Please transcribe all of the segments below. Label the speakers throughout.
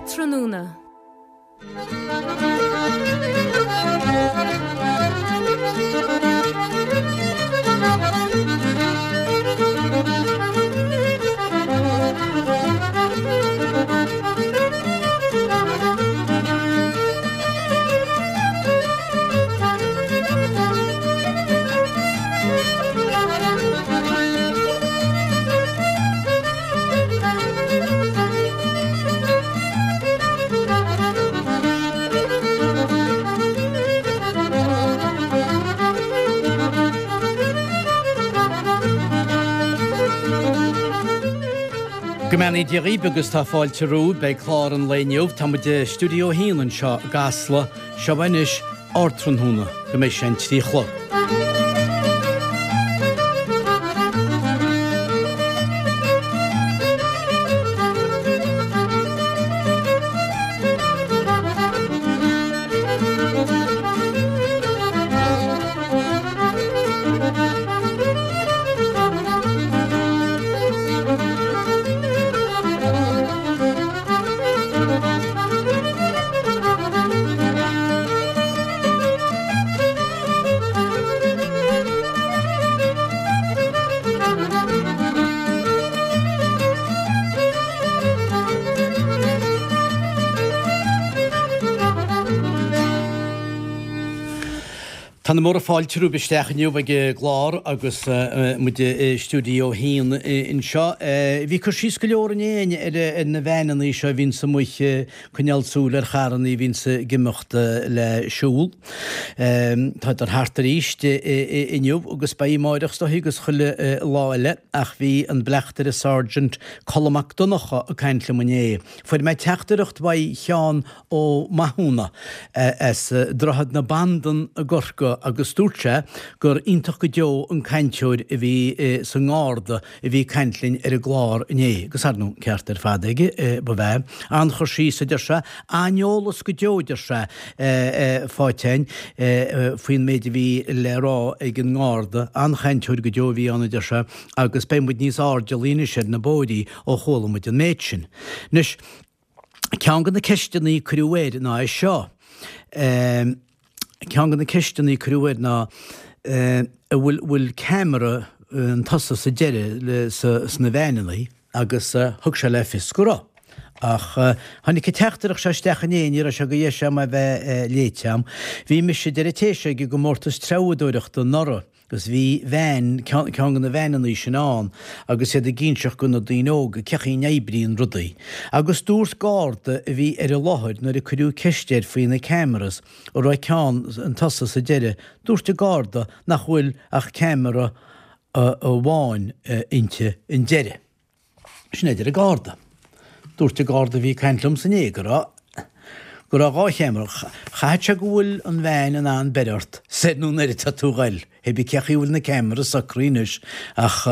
Speaker 1: Ardtráthnóna.
Speaker 2: Go mbeannaí Dia dhaoibh agus tá fáilte romhaibh. Beidh clár an lae inniu. Tá muid i Stiúideo 1 anseo i gCasla. Seo anois Ardtráthnóna go mbeidh sé an 3 a chlog. Tá na múra fáilte romhaibh isteach inniu ag an gclár agus muid i Stiúideo 1 anseo. Bhí cur síos go leor inné ar na veaineanna seo a bhíonns amuigh coinneáil súil ar charrannaí a bhíonns ag imeacht le siúl. Tádar thart arís inniu agus beidh amáireach is dóichí agus chuile lá eile ach bhí an Bleachtaire Sergeant Colm Mac Donncha ag caint liom inné. Fuair mé teachtaireacht uaidh Sheán Ó Mathúna as Droichead na Bandan i gCorcaigh agus dúirt sé gur iontach go deo an cainteoir a bhí sa nGarda a bhí ag caint linn ar an gclár inné, agus ar ndóigh an ceart ar fad aige, ba bh'ea. An-chur síos, a deir sé, an-eolas go deo, a deir sé, faighte againn faoin méid a bhí le rá ag an nGarda. An-chainteoir go deo a bhí ann, a deir sé, agus beidh muid níos airdeallaí anois ar na bóithrí ó chuala muid an méid sin. Anois, ceann de na ceisteanna a cuireadh air ná é seo, ceann de na ceisteanna a cuireadh air ná an bhfuil bhfuil ceamara an tosaigh sa deireadh sna veaineanna agus thug sé le fios go raibh. Ach tháinig an teachtaireacht seo isteach inné, ní raibh sé de dheis agam é a bheith léite agam. Bhí mise, deir an té seo, ag an gcomórtas treabhadóireachta anuraidh. Agus bhí veain, ceann de na veaineannaí sin ann agus iad ag inseacht go na daoine óga cé chaoi a n-oibríonn rudaí. Agus dúirt garda a bhí ar an láthair nuair a cuireadh ceist air faoi na cameras, an raibh ceann an tosaigh sa deireadh, dúirt an garda nach bhfuil ach ceamara amháin inti an deireadh. Sin é a deir an Garda. Dúirt an Garda a bhí ag caint liomsa inné go raibh go raibh 2 cheamara. Chaithfeadh sé go bhfuil an veain in ann beir ort soir nó anoir atá tú a ghoil. Hé bí cé chaoi a bhfuil na cameras socraithe anois ach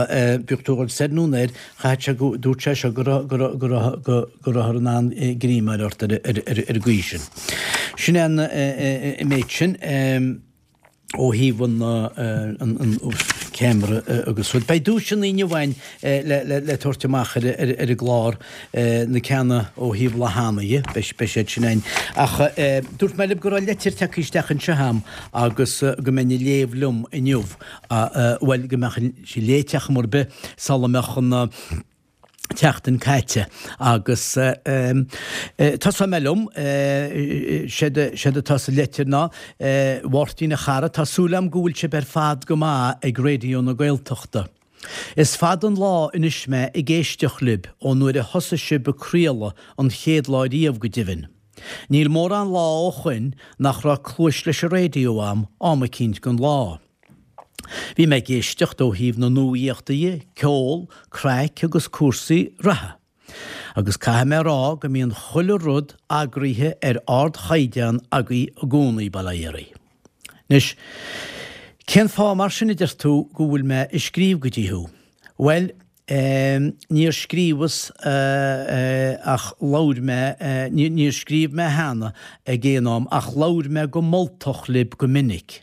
Speaker 2: bíodh tú a ghoil soir nó anoir chaithfeadh sé go dúirt sé seo go raibh go raibh go raibh go go rabhthar in ann greim a fháil ort ar ar ar ar an gcaoi sin. Sin é an méid sin. ó thaobh an ceamara agus rud. Beidh duaiseanna inniu againn le tabhairt amach ar an gclár, na ceanna ó thaobh Lá cheana dhe, beidh siad sin againn. Ach dúirt mé libh go raibh leitir tagtha isteach anseo agam agus go mbeinn á léamh liom inniu, bhuel go mbeadh sí léite ar chuma ar bith sula mbeadh an tseachtain caite agus tosóidh mé liom, séard atá sa leitir ná, A Mháirtín a chara, tá súil agam go bhfuil sibh ar fad go maith ag Raidió na Gaeltachta. Is fada an lá anois mé ag éisteacht libh, ó nuair a thosaigh sibh ag craoladh an chéad lá riamh go deimhin. Níl mórán lá ó shoin nach raibh cluais leis an raidió a'm am eicínt den lá. Bhí mé ag éisteacht ó thaobh na nuaíochta dhe, ceol, craic agus cúrsaí reatha. Agus caithfidh mé a rá go mbíonn chuile rud eagraithe ar ardchaighdeán agaibh i gcónaí, bail ó Dhia oraibh. Anois, cén fáth mar sin a deir tú go bhfuil mé ag scríobh go dtí thú? Bhuel, Níor scríobhas ach labhair mé, níor scríobh mé cheana ag aon am ach labhair mé go moltach libh go minic.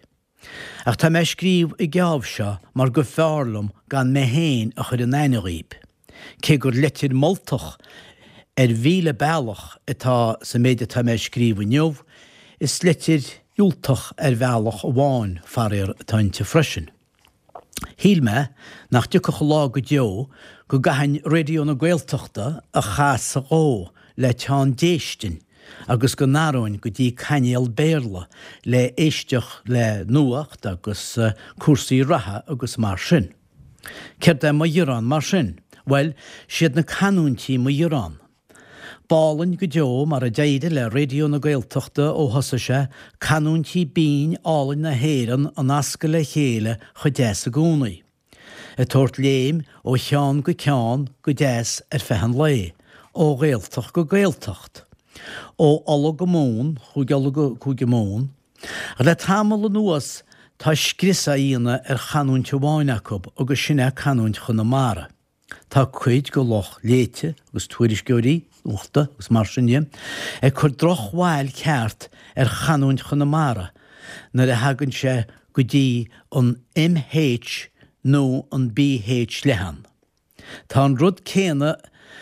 Speaker 2: Ach tá mé ag scríobh an geábh seo mar go bhfearr liom gan mé féin a chur in aithne dhaoib, cé gur leitir moltach. Ar mhíle bealach atá sa méid atá mé a scríobh inniu, is litir dhiúltach ar bhealach amháin, faraor, atá inti freisin. Shíl mé nach dtiocfadh lá go deo go gcaithfinn Raidió na Gaeltachta a chasadh dhó le teann déistin agus go n-athróinn go dtí cainéal Béarla le éisteacht le nuacht agus cúrsaí reatha agus mar sin. Céard é mo ghearán mar sin? Bhuel, siad na canúintí mo ghearán. B'álainn go deo mar a d'éirigh le Raidió na Gaeltachta ó thosaigh sé, canúintí binn álainn na hÉireann a nascadh le chéile chomh deas i gcónaí. Ag tabhairt léim ó cheann go ceann go deas ar feadh an lae, ó Ghaeltacht go Gaeltacht. Ó Uladh go Mumhan, Chúige Uladh go Cúige Mumhan. Ach le tamall anuas tá scrios á dhéanamh ar chanúint amháin acu agus sin é canúint Chonamara. Tá cuid de lucht léite agus tuairisceoirí nuachta agus mar sin de ag cur drochbhail ceart ar chanúint Chonamara nuair a thagann sé go dtí an MH nó an BH leathan. Tá an rud céanna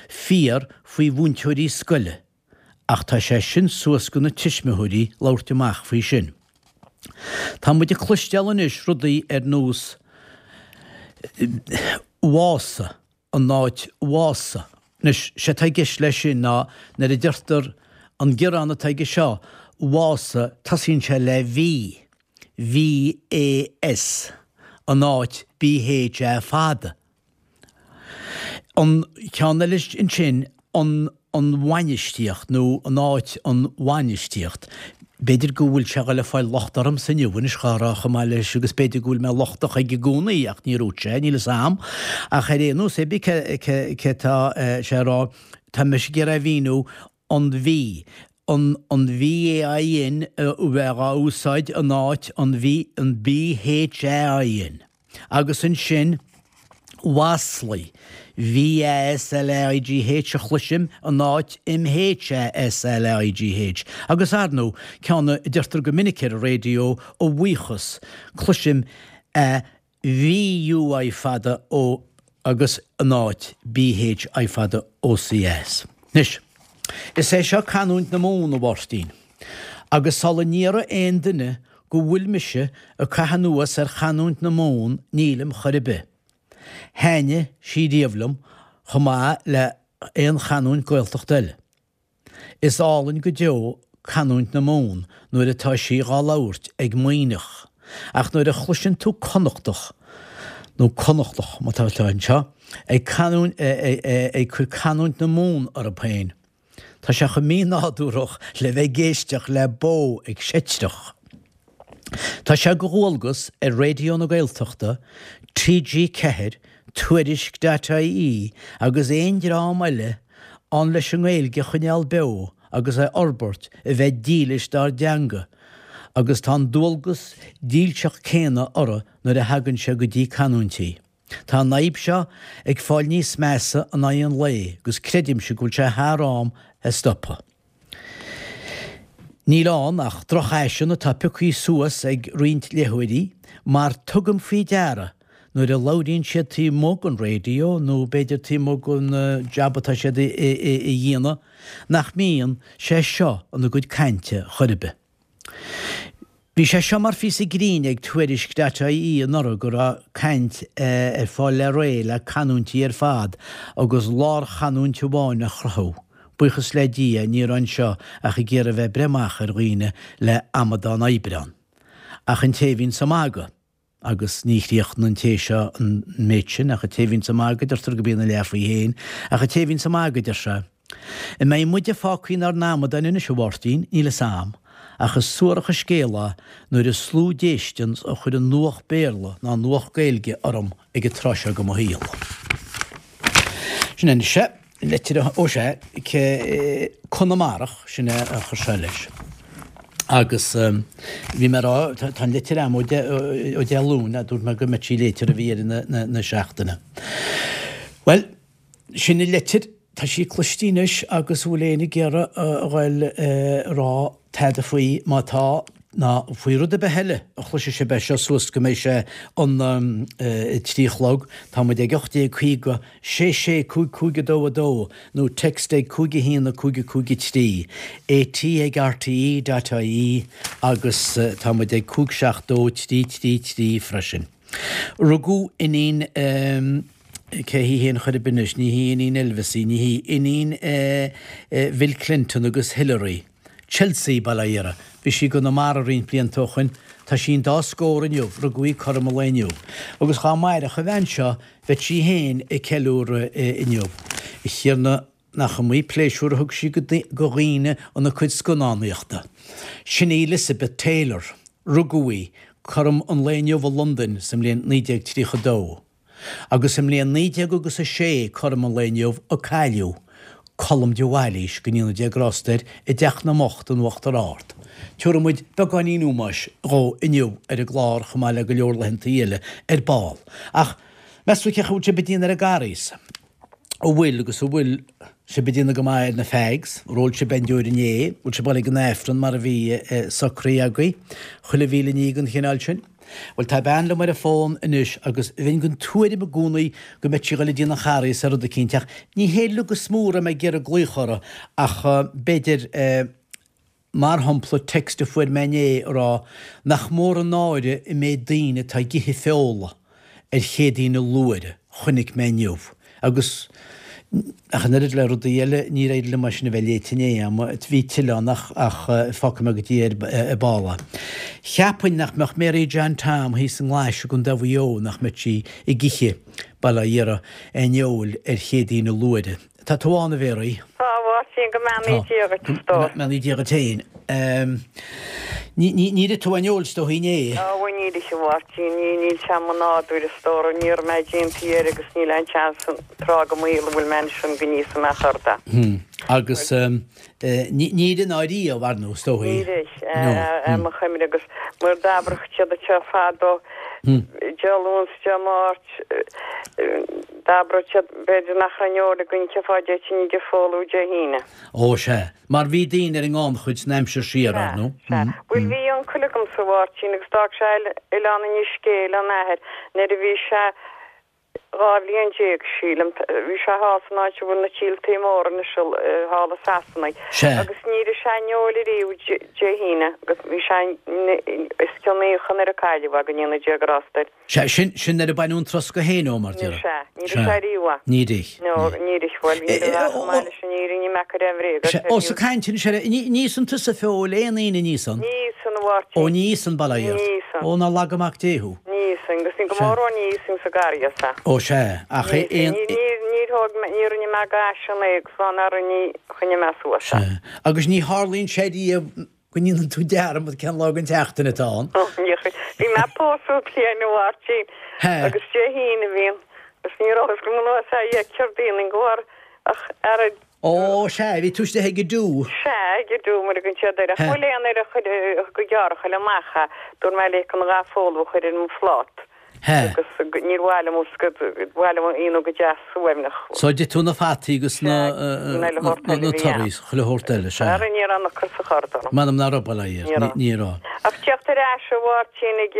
Speaker 2: fíor faoi mhúinteoirí scoile. Ach tá sé sin suas go na tuismitheoirí labhairt amach faoi sin. Tá muid ag cloisteáil anois rudaí ar nós Mhása, an áit Mhása. Anois, sé atá i gceist leis sin ná nuair a deirtear an gearán atá aige seo, Mhása, tosaíonn sé le V, V-A-S, an áit B-H-A fada. An ceann eile ansin, an an bhainistíocht nó an áit an bhainistíocht. B'fhéidir go bhfuil sé ag dul ag fáil locht ormsa inniu anois dhá rá chomh maith leis agus b'fhéidir go bhfuil mé lochtach aige i gcónaí ach níor dhúirt sé, níl fhios a'm. Ach ar aon nós, cibé cé cé atá sé a rá, tá mise ag iarraidh a mhíniú an V, an an VAIN a bheith á úsáid in áit an V an BHAIN. Agus ansin mhaslaí, V-A-S-L-A-I-G-H a chloisim in áit M-H-A-S-L-A-I-G-H. Agus ar ndóigh, ceann a deirtear go minic ar an raidió, a bhuíochas, cloisim a V-U-I fada O agus in áit B-H-I fada O-C-A-S. Anois, is é seo canúint na Mumhan, a Mháirtín. Agus sula ndéarfaidh aon duine go bhfuil mise ag caitheamh anuas ar chanúint na Mumhan, nílim chor ar bith. Thaitnigh sí riamh liom, chomh maith le aon chanúint Gaeltachta eile. Is álainn go deo canúint na Mumhan nuair atá sí dhá labhairt ag Muimhneach, ach nuair a chloiseann tú Connachtach, nó Connachtach má tá anseo, ag canúint, ag cur canúint na Mumhan orthu féin, tá sé chomh mínádúrach le bheith ag éisteacht le bó ag seitreach. Tá sé de dhualgas ar Raidió na Gaeltachta, TG4, Tuairisc.ie agus aon dream eile ann leis an nGaeilge a choinneáil beo agus a fhorbairt a bheith dílis dár dteanga agus tá an dualgas dílseach céanna orthu nuair a thagann sé go dtí canúintí. Tá an fhadhb seo ag fáil níos measa in aghaidh an lae agus creidimse go bhfuil sé thar am é a stopadh. Níl ann ach drochfhaisean atá pioctha suas ag roinnt léitheoirí, mar tugaim faoi deara nuair a labhraíonn siad taobh amuigh den raidió nó b'fhéidir taobh amuigh den jab atá siad a dhéanamh, nach mbíonn sé seo ina gcuid cainte chor ar bith. Bhí sé seo mar phíosa grinn ag Tuairisc.ie anuraidh go raibh caint ar fáil le réidh le canúintí ar fad agus lárchanúint amháin a chruthú. Buíochas le Dia ní raibh anseo ach ag iarraidh bheith ag breith amach ar dhaoine le amadán Aibreán. Ach an té a bhíonns ag magadh. Agus ní chríochnaíonn an té seo an méid sin, ach an té a bhíonns ag magadh, deirtear go mbíonn a leath faoi fhéin, ach an té a bhíonns ag magadh, deir sé, An mbeidh muide fágtha inár n-amadáin anois, a Mháirtín? Níl fhios a'm, ach is suarach an scéal é nuair is lú déistean a chuireann nuacht Béarla ná nuacht Gaeilge orm ag an tráth seo de mo shaol. Sin é anois é. Leitir ó sea, Conamarach, sin é a chuir sé leis. Agus bhí mé ag rá, tá an litir agam ó Dé Luain, a dúirt mé go mbeadh sí léite roimh dheireadh na seachtaine. Bhuel, sin an litir, tá sí cloiste anois agus an bhfuil éinne ag iarraidh a ghoil a rá tada faoi, má tá. Ná faoi rud ar bith eile a chloisfidh sibh é seo suas go mbeidh sé an 3 a chlog. Tá muid ag 1850 66 55 2 2 nó text ag 5 1 5 5 3, AT ag RTE dot ie agus tá muid ag 5 7 2 3 3 3 freisin. Rugadh iníon cé hí féin chor ar bith anois, ní hí iníon Elvis í, ní hí, iníon Bhill Clinton agus Hillary. Chelsea, bail ó Dhia uirthi. Bhí sí i gConamara roinnt blianta ó shoin. Tá sí an dá scór inniu, rugadh í cothrom an lae inniu. Agus dhá mairfeadh an bhean seo, bheadh sí féin ag ceiliúradh inniu. A Thiarna, nach iomaí pléisiúr a thug sí do dhaoine ina cuid scannánaíochta. Sin í Elizabeth Taylor. Rugadh í cothrom an lae inniu i Londain sa mbliain 1932. Agus sa mbliain 19 agus 6, cothrom an lae inniu, a cailleadh Colm de Bhailís, go ndéana Dia grásta air, i dTeach na mBocht in Uachtar Ard. Tiúrfaidh muid beagáinín ómóis dhó inniu ar an gclár chomh maith le go leor laethantaí eile ar ball. Ach meas tú cén chaoi a bhfuil sibh ag déanamh ar an gCarghas? An bhfuil agus an bhfuil sibh ag déanamh go maith ar na fags? Ar ól sibh aon deoir inné? Bhfuil sibh ag dul ag an Aifreann mar a bhí socraithe agaibh? Chuile mhíle ní den chineál sin. Bhuel, tá bean liom ar an bhfón anois agus bheinn den tuairim i gcónaí go mbeadh sí ag dul go dtí an Charghas ar rud eicínt ach ní hé uilig is mó a raibh mé ag iarraidh glaoch orthu ach b'fhéidir mar shampla text a fuair mé inné ag rá nach mór an náire an méid daoine atá ag ithe feola ar Chéadaoine Luaithre, chonaic mé inniu. Agus ach an oiread le rudaí eile, níor éirigh liom é sin a bheith léite inné agam. Bhí tuilleadh ann ach ach fágfaidh mé go dtí ar ball é. Cheapfainn nach mbeadh Mary John Tom thíos i nGlais i gContae Mhaigh Eo nach mbeadh sí ag ithe, bail ó Dhia uirthi, aon fheoil ar Chéadaoine Luaithre. Tá tú ann, a Mhéaraí?
Speaker 1: Tá, a Mháirtín, go mbeannaí Dia dhuit, a stór.
Speaker 2: Go mbeannaí Dia duit féin. Níor ith tú aon fheoil is dóigh inné?
Speaker 1: Á, bhuel, níor ith, a Mháirtín, níl sé i mo nádúr, a stór, ní raibh mé déanta air agus níl aon tseans an tráth go maol a bhfuil mé anois an go n-íosfaidh mé chor de.
Speaker 2: Agus níor ith ná riamh, ar ndóigh, is dóigh.
Speaker 1: Níor ith, ar mo chuimhne, agus mar d'abradh siad anseo fadó, Dé Luain 's Dé Máirt, D'abradh siad, b'fhéidir nach raibh aon fheoil againn cén fáth a dtéitinn ag foghlú Dé hAoine.
Speaker 2: Ó, sea. Mar bhí daoine ar an ngannchuid san aimsir siar, ar ndóigh.
Speaker 1: Sea, sea. Bhuel, bhí uncail agamsa, a Mháirtín, agus d'fhág sé Oileán Inis Gé lena athair nuair a bhí sé 12 bhliain, sílim. Bhí sé thall san áit a bhfuil na tíoltaí móra anois, thall i Sasana.
Speaker 2: Sea.
Speaker 1: Agus níor ith sé aon fheoil ariamh Dé hAoine agus bhí sé os cionn naocha nuair a cailleadh é, go ndéana Dia grásta air.
Speaker 2: Sea, sin, sin nuair a baineadh an troscadh féin ó, mar
Speaker 1: déarfá. Sea, níor ith sé ariamh é.
Speaker 2: Níor ith.
Speaker 1: No, níor ith, bhuel, ní raibh chomh maith leis an fhírinne, ní mbeadh ar aon bhréag
Speaker 2: Sea, ós ag caint anois ar, ní, ní íosann tusa feoil aon Aoine, ní íosann?
Speaker 1: Ní íosann, a Mháirtín.
Speaker 2: Ó, ní íosann, bail ó Dhia
Speaker 1: ort. Ní íosann.
Speaker 2: Ó, nár laga Mac Dé thú.
Speaker 1: Ní íosann, agus ní go mór ó ní íosann sa gCarghas é.
Speaker 2: Ó, sea, ach
Speaker 1: Ní íosann, ní, ní, níor thóg mé, ní rinne mé gaise an é agus fá ndeara ní choinnigh mé suas
Speaker 2: é. Sea, agus ní tharlaíonn sé riamh Go ndéanann tú dearmad cén lá den tseachtain atá ann.
Speaker 1: Bhí mé ag pósadh bliain a Mháirtín agus Dé hAoine a bhí ann agus ní raibh fhios agam an lá é Céardaoin an go ach ara
Speaker 2: Ó, sea, bhí tú istigh ag an do.
Speaker 1: Sea, ag an do mar a thugann siad air. Ach bhfuil aon air a chuir go gearr a chuile amach é. Dúirt mé léi an gha folamh a chur ar mo phláta.
Speaker 2: He.
Speaker 1: Agus níor mhaith liom go mhaith liom aonú go deas suaimhneach.
Speaker 2: So d'ith tú na fataí agus na na torthaí is chuile shórt eile, sea.
Speaker 1: Ara ní raibh an ocras ag cur orm.
Speaker 2: M'anam nach raibh, bail ó Dhia ort, ní raibh.
Speaker 1: Ach teacht ar ais a Mháirtín ag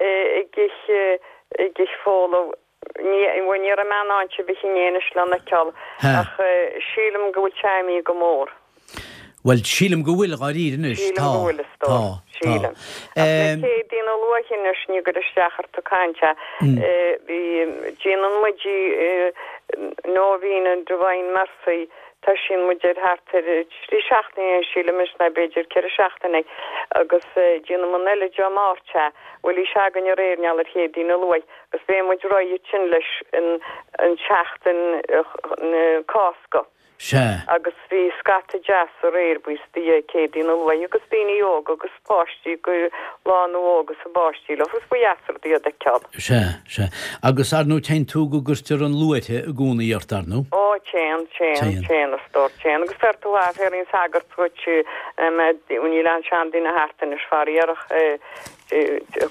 Speaker 1: ag ithe ag ithe folamh, ní bhuel ní raibh mé in ann sibh a chinneadh anois lena fheiceáil ach sílim go bhfuil sé imithe go mór.
Speaker 2: Bhuel, sílim go bhfuil, dháiríre anois.
Speaker 1: Sílim
Speaker 2: Tá.
Speaker 1: go bhfuil, a stór.
Speaker 2: Tá. Tá.
Speaker 1: Sílim. Ach na Céadaoine luaithe anois, ní ag cur isteach ort ag caint é. Bhí, déanann muid í, Novena Divine Mercy, toisíonn muid air thart ar trí seachtaine ó shin, sílim anois, nó b'fhéidir ceithre seachtaine, agus déanann an eile Dé Máirt é. Bhuel, bhí sé againn aréir, i ngeall ar Chéadaoine luaith, agus beidh muid réidh ansin leis an tseachtain na Cásca.
Speaker 2: Sea.
Speaker 1: Agus bhí scata deas aréir buíochas do Dhia Céadaoin luaith agus daoine óga agus páistí go lánú óg agus a bpáistí leo agus ba dheas rud iad a fheiceáil.
Speaker 2: Sea, sea. Agus ar ndóigh téann tú go gcuirtear an luaithe i gcónaí ort, ar ndóigh?
Speaker 1: Ó, téann, téann, téann, a stór, téann. Agus fear tú a bheith an sagart dhuit, níl aon seanduine thart anois, faraor ach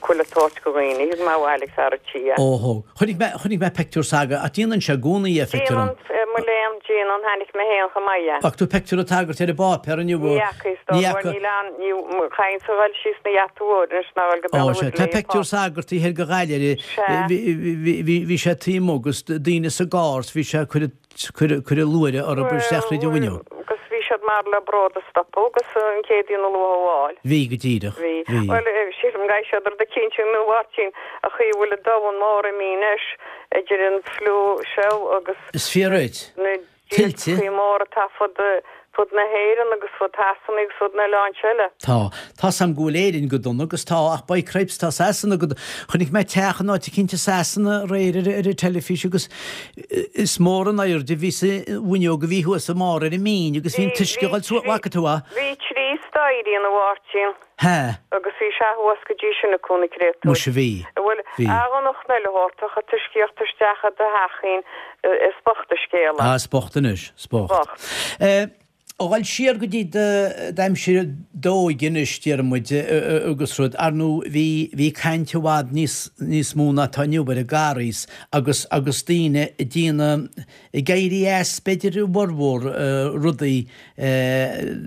Speaker 1: chuile shórt go dhaoine. Thug mé abhaile ag fear a' tí é.
Speaker 2: Ó thóg. Chonaic mé, chonaic mé peictiúr s'agaibh, ach déanann sé i gcónaí é, feictear dom.
Speaker 1: Déanann, mo léan, déanann. Mháirtín, an tháinig mé féin chomh maith é.
Speaker 2: Bhfaca tú peictiúr an tsagairt ar an bpáipéar inniu?
Speaker 1: Ní fhaca, is dóigh, bhuel níl ann, ní, chaithfinnse a dhul síos na gheata mhór anois ná dhul go Béal
Speaker 2: Ó,
Speaker 1: an
Speaker 2: sea,
Speaker 1: Mhuirthead
Speaker 2: tá
Speaker 1: le
Speaker 2: peictiúr
Speaker 1: pá.
Speaker 2: sagairt thoir go Ghaillimh,
Speaker 1: Sea.
Speaker 2: bhí, bhí, bhí, bhí sé taobh amuigh agus daoine sa gcarr 's bhí sé ag cur, cur, cur a luaithre orthu isteach
Speaker 1: Bhuel,
Speaker 2: thríd an bhfuinneog.
Speaker 1: agus bhí siad marbh le bród a stopadh agus an Chéadaoin a luath a fháil.
Speaker 2: Bhí, go díreach,
Speaker 1: Bhí.
Speaker 2: bhí.
Speaker 1: Bhuel, sílim go gcaithfidh siad rud eicínt a dhéanamh a Mháirtín, an chaoi a bhfuil an domhan mór imithe anois idir an fliú seo agus.
Speaker 2: Is fíor dhuit.
Speaker 1: Na
Speaker 2: Tuilte.
Speaker 1: díoltachaí móra atá fud fud na hÉireann agus fud Shasana agus fud na n-oileán eile.
Speaker 2: Tá. Tá's a'm go bhfuil Éirinn go dona agus tá, ach by cripes tá Sasana go Chonaic mé teach in áit eicínt i Sasana aréir ar ar an teilifís agus is mór an airde a bhí sa bhfuinneog a bhí thuas i mbarr ar an mbinn agus bhí an
Speaker 1: Bhí,
Speaker 2: t-uisce
Speaker 1: bhí
Speaker 2: ag dul suas, bhfaca tú a?
Speaker 1: Bhí trí staighrí ann a Mháirtín.
Speaker 2: Hea.
Speaker 1: Agus bhí sé thuas go dtí sin acu, na créatúir.
Speaker 2: Muise bhí.
Speaker 1: Bhuel,
Speaker 2: Bhí.
Speaker 1: a Dhonncha eile thabhartach an t-uisce a theacht isteach i do theach féin, is bocht an scéal é.
Speaker 2: Ah, is bocht anois, is bocht.
Speaker 1: Bocht.
Speaker 2: Eh, a dhul siar go dtí d'aimsir d'óige anois, déarfaidh muid, agus rud, ar ndóigh, bhí, bhí caint i bhfad níos, níos mó ná atá inniu ar an gCarghas agus, agus daoine ag déanamh, ag éirí as, b'fhéidir, i bhformhór rudaí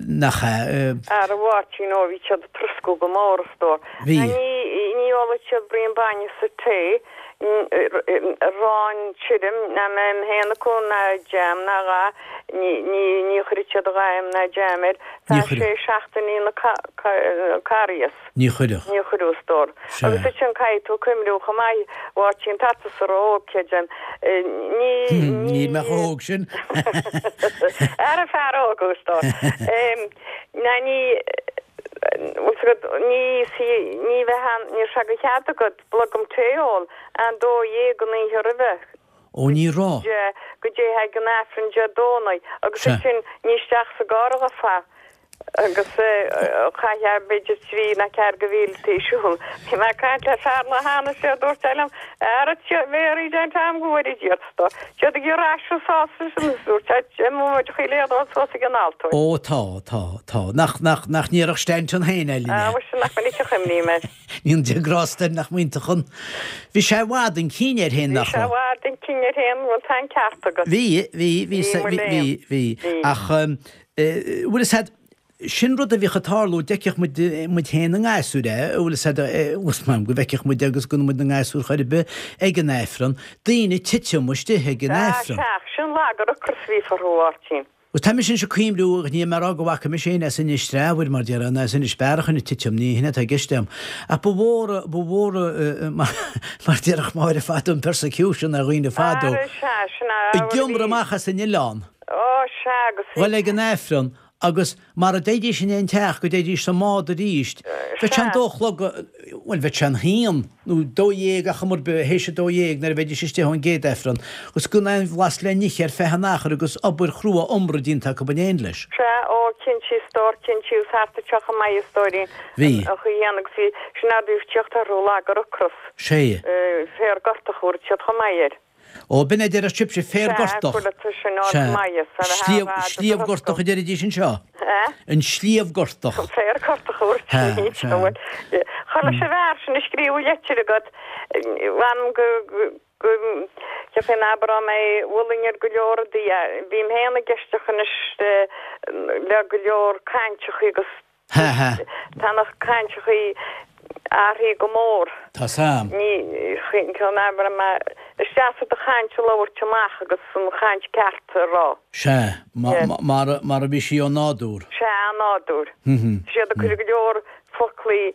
Speaker 2: nach ea.
Speaker 1: Ara a Mháirtín, ó bhí siad ag troscadh go mór a stór.
Speaker 2: Bhí.
Speaker 1: Ní, ní óladh siad braon bainne sa tae, arán tirim, ná mé féin acu, ná jam ná a dhath, ní, ní, ní chuireadh siad a dhath ná jam air,
Speaker 2: Ní
Speaker 1: feadh
Speaker 2: chuireadh.
Speaker 1: sé seachtainí na ca, ca, Carghas.
Speaker 2: Ní chuireadh.
Speaker 1: Ní chuireadh, a stór.
Speaker 2: Sea.
Speaker 1: Agus ansin caithfidh tú cuimhniú chomh maith, a Mháirtín, tá tusa ró-óg, creidim. Ní, ní.
Speaker 2: Níl mé chomh hóg sin.
Speaker 1: Ara fear óg thú, a stór. Ná ní, bhfuil 's agat, ní, ní bheith ann, ní raibh sé de chead agat blogam tae a ól an 12 an oíche roimhe.
Speaker 2: Ó ní raibh.
Speaker 1: Go dtéifeá ag an Aifreann Dé Domhnaigh agus
Speaker 2: Sea.
Speaker 1: ansin ní isteach sa gcarr a ghabhfá. Agus chaithfeá b'fhéidir trí ná ceathair de mhíltí siúl. Bhí mé ag caint le fear lá cheana is é dúirt sé liom, Ara bhéarfaidh an t-am go bhfuair iad do. Siad ag iarraidh aistriú sásta sin is dúirt sé, Imeoidh muid chuile éadóid suas ag an altóir.
Speaker 2: Ó tá, tá, tá. Nach, nach, nach ndéarfadh Stanton féin é linn
Speaker 1: Ah,
Speaker 2: é.
Speaker 1: mhuise nach minic a chuimhním air.
Speaker 2: Ní an Dia grásta air nach mb'iontach an. Bhí sé i bhfad chun cinn air féin,
Speaker 1: Bhí
Speaker 2: nach
Speaker 1: sé i
Speaker 2: raibh?
Speaker 1: bhfad chun cinn air féin, bhuel tá an ceart agat.
Speaker 2: Bhí, bhí, bhí,
Speaker 1: Bhí,
Speaker 2: bhí,
Speaker 1: mo
Speaker 2: bhí,
Speaker 1: léan.
Speaker 2: bhí.
Speaker 1: Bhí.
Speaker 2: Ach, bhfuil fhios a'd, sin rud a bhíodh ag tarlú, d'fheicfeadh muid, muid féin ina ngasúir é, bhfuil fhios a'd, bhfuil fhios a'm go bhfeicfeadh muid agus go muid ina ngasúir chor ar bith ag an Aifreann, daoine ag titim istigh ag an
Speaker 1: Sea,
Speaker 2: Aifreann.
Speaker 1: sea, sin lag ar ocras a bhí orthu, a Mháirtín.
Speaker 2: Bhuel, tá mise anois ag cuimhniú, níl mé ag rá go bhfaca mise éinne as Inis Treabhair, mar déarfá, ná as Inis Bearachain ag titim, ní hin atá i gceist agam. Ach ba mhór, ba mhór, mar déarfadh Máire fadó, an persecution ar dhaoine fadó,
Speaker 1: Ara, sea, sin é,
Speaker 2: ag iomramh amach as an oileán,
Speaker 1: Ó, sea, agus bhí.
Speaker 2: dhul ag an Aifreann agus mara dtéidís in aon teach go dtéidís sa mbád arís, bheadh sé an dó a chlog, bhuel, bheadh sé an haon nó dó dhéag ach am ar bith, théis a dó dhéag nuair a bheidís istigh ón gcéad Aifreann, agus gan aon bhlas le n-ithe ar feadh an achair agus obair chrua iomra déanta acu in éineacht leis.
Speaker 1: Sea, ó, cinnte, a stór, cinnte, agus thart anseo chomh maith, a stóirín,
Speaker 2: Bhí.
Speaker 1: an chaoi chéanna agus bhí, sin a bhíodh tíocht orthu lag ar ocras.
Speaker 2: Sea.
Speaker 1: Féar gortach a thabharfadh siad chomh maith air.
Speaker 2: Ó, b'in a deireadh sibhse, féar
Speaker 1: Sea,
Speaker 2: gortach.
Speaker 1: chuala tú sin áit
Speaker 2: Sea.
Speaker 1: maith, is ar a
Speaker 2: Sliabh,
Speaker 1: thaobh fhada
Speaker 2: sliabh
Speaker 1: do
Speaker 2: gortach
Speaker 1: thoscadh.
Speaker 2: a deiridís anseo.
Speaker 1: Eh?
Speaker 2: An sliabh gortach.
Speaker 1: An féar gortach a thabhairt
Speaker 2: Sea,
Speaker 1: sin,
Speaker 2: sea.
Speaker 1: bhuel, chuala sibh fhear sin a scríobh leitir agat, mh'anam go, go, go, cheapfainn abair á mé mholfainn ar go leor rudaí, bím féin ag éisteacht anois le go leor cainteachaí agus
Speaker 2: Ha ha.
Speaker 1: Tá na cainteachaí athraithe go mór.
Speaker 2: Tá sam.
Speaker 1: Ní ceann abair mar is deas do chaint a labhairt amach agus an chaint ceart a rá.
Speaker 2: Sea, mar mar a bhí sí ó nádúr.
Speaker 1: Sea, ó nádúr. Tá siad ag cur go leor foclaí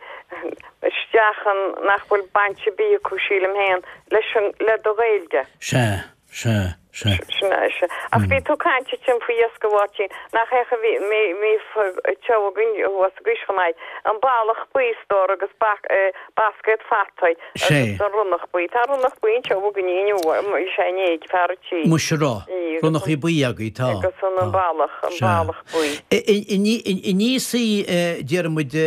Speaker 1: isteach an nach bhfuil baint ar bith acu, sílim féin, leis an, le do Ghaeilge.
Speaker 2: Sea. Sea, sea.
Speaker 1: Sin é, sea. Ach bhí tú ag caint ansin faoi iasc a Mháirtín, nach é a bhí, mí, mí, teo againn thuas i gCois chomh maith, an ballach buí a stór agus bac, bascaed fataí
Speaker 2: Sea.
Speaker 1: agus an ronnach buí. Tá ronnach buí anseo againn inniu, bhí sé inné ag fear an tí.
Speaker 2: Muise raibh.
Speaker 1: Í, agus
Speaker 2: Ronnachaí buí agaibh, tá.
Speaker 1: Agus an, an
Speaker 2: Tá.
Speaker 1: ballach, an
Speaker 2: Sea.
Speaker 1: ballach buí.
Speaker 2: An íosfaí, déarfaidh muid,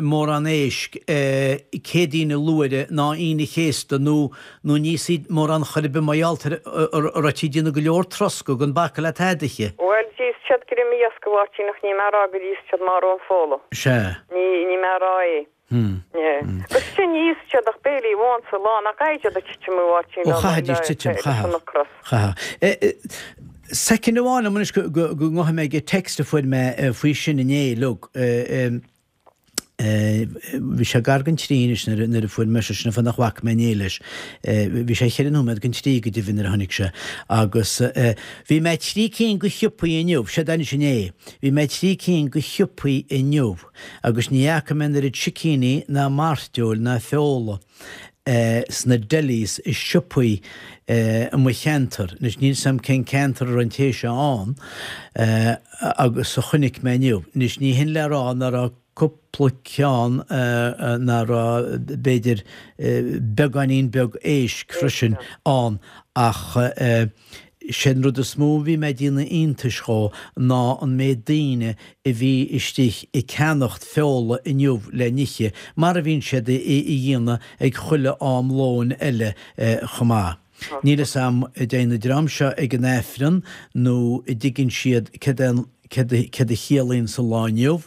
Speaker 2: mórán éisc Céadaoin an Luaithre ná Aoine an Chéasta nó Nó ní íosfaí mórán chor ar bith mar gheall ar a raibh tú ag déanamh go leor troscadh gan bacadh le tada a ithe.
Speaker 1: Bhuel, d'íos siad greim iasc a Mháirtín ach níl mé a rá gur íos siad mórán fola.
Speaker 2: Sea.
Speaker 1: Ní, níl mé a rá é.
Speaker 2: Hmm.
Speaker 1: Yeah. Agus sin ní íos siad ach béilí amháin sa lá, nach gcaithfidh siad a titim a Mháirtín
Speaker 2: Ó, chaithfidís titim,
Speaker 1: leis an
Speaker 2: chaithfeadh.
Speaker 1: ocras.
Speaker 2: Chaithfeadh. Soicind amháin liom anois go ngabhfaidh mé ag text a fuair mé faoi sin inné, look. Bhí sé gar don trí anois nuair a fuair mé sé, sin an fáth nach bhfaca mé inné leis. Bhí sé cheithre nóiméad don trí go deimhin nuair a tháinig sé. Agus bhí mé trí cinn go shiopaí inniu, séard anois inné, bhí mé trí cinn go shiopaí inniu agus ní fhaca mé an oiread sicíní ná mairteoil ná feola sna delis i siopaí i mo cheantar, anois níl 's a'm cén ceantar a raibh an té seo ann, agus a chonaic mé inniu. Anois ní hin le rá ná raibh cúpla ceann ná raibh b'fhéidir beagáinín beag éisc freisin ann ach sé an rud is mó a bhí mé ag déanamh iontais dhó ná an méid daoine a bhí istigh ag ceannacht feola inniu le n-ithe, mar a bhíonn siad a dhéanamh ag chuile am lóin eile chomh maith. Níl 'fhios a'm a dtéann an dream seo ag an Aifreann nó a dtuigeann siad céard é céard a chiallaíonn sa lá inniu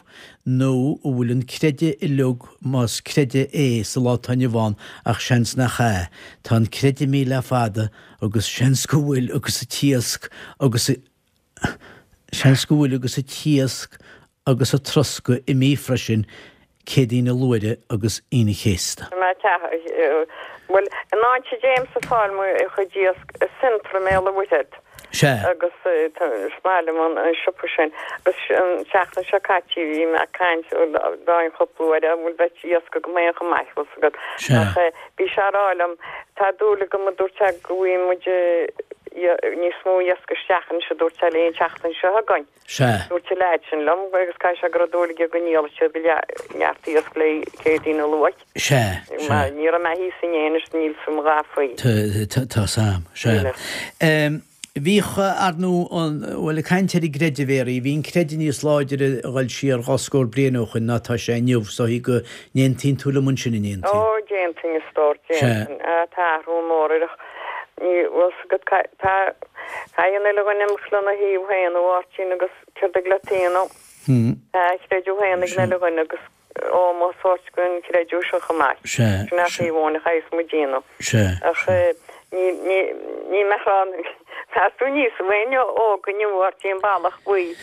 Speaker 2: nó a bhfuil an creideamh uilig más creideamh é sa lá atá inniu ann ach seans nach ea. Tá an creideamh imithe le fada agus seans go bhfuil agus an t-iasc agus Seans go bhfuil agus an t-iasc agus an troscadh imithe freisin, Céadaoin na Luaithre agus Aoine an Chéasta.
Speaker 1: Bhuel, an áit a dtéimse ag fáil mo chuid iasc i Centra i mBéal an Mhuirthead.
Speaker 2: Sea.
Speaker 1: Agus is maith liom an siopa sin. Agus an tseachtain seo caite bhí mé ag caint dá chúpla uair an bhfuil bheadh iasc agam féin chomh maith, bhfuil 's agat.
Speaker 2: Sea.
Speaker 1: Ach bhí sé a rá liom, tá dúil agam a dúirt sé go bhfaighidh muid níos mó iasc isteach anois a dúirt sé léi an tseachtain seo chugainn.
Speaker 2: Sea.
Speaker 1: Dúirt an leaid sin liom agus caithfidh sé go raibh dúil aige go ndíolfadh siad go neart iasc le Céadaoin a luaith.
Speaker 2: Sea.
Speaker 1: Sea. Ní raibh mé thíos inné anois níl 's a'm a dhath faoi.
Speaker 2: Tá 's a'm. Sea. Bhíodh, ar ndóigh, an, bhuel, ag caint ar an gcreideamh, a Mhéaraí, bhí an creideamh níos láidre a dhul siar dhá scór bliain ó shoin ná tá sé inniu, is dóichí go n-aontaíonn tú liom ansin, an
Speaker 1: n-aontaíonn? Ó, d'aontainn, a stór, d'aontainn. Tá athrú mór ar Ní bhfuil 's agat tá caithfidh an uile dhuine imeacht lena thaobh féin, a Mháirtín, agus céard a gcleataíonn Tá a chreideamh féin ag an uile dhuine agus ómós a thabhairt don chreideamh sin chomh maith. Sin é an taobh amháin a chaithfeas muid déanamh. Ach ní ní ní mbeadh ann meas tú níos éinne óg inniu a Mháirtín Bealach Buí.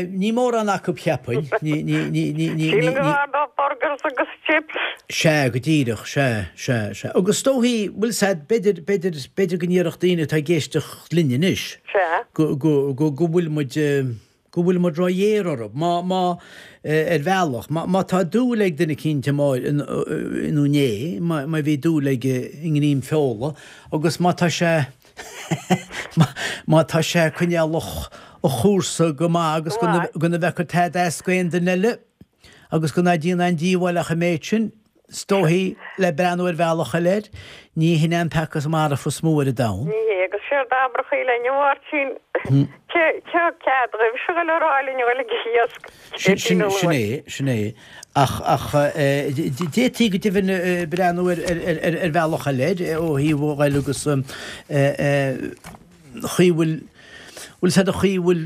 Speaker 2: Ní mórán acu cheapfainn. Ní ní ní ní ní
Speaker 1: Sílim go bhfearr dóibh burgers agus chips.
Speaker 2: Sea, go díreach, sea, sea, sea. Agus is dóichí, bhfuil 's a'd, b'fhéidir, b'fhéidir, b'fhéidir go ndéarfadh daoine atá ag éisteacht linn anois
Speaker 1: Sea.
Speaker 2: go, go, go, go bhfuil muid, go bhfuil muid ró-ghéar orthu. Má, má, ar bhealach, má, má tá dúil ag duine eicínt nó inné, má, má bhí dúil aige i ngreim feola agus má tá sé, Má tá sé ag coinneáil a chúrsa go maith agus gan a bheith ag cur tada as d'aon duine eile agus gan a déanamh aon díobháil ach an méid sin, is dóichí, le breathnú ar bhealach eile air, ní hin é an peaca marfach is mó ar an domhan.
Speaker 1: Ní hé, agus séard a abrfadh linn, a Mháirtín, cé thug cead dhaoibh seo a dhul a rá linn a dhul ag iasc?
Speaker 2: Sin é, sin é. Ach, ach, d'fhéadfaí go deimhin breathnú ar, ar, ar bhealach eile air, ó thaobh a ghoil agus chaoi a bhfuil, bhfuil 's a'd an chaoi a bhfuil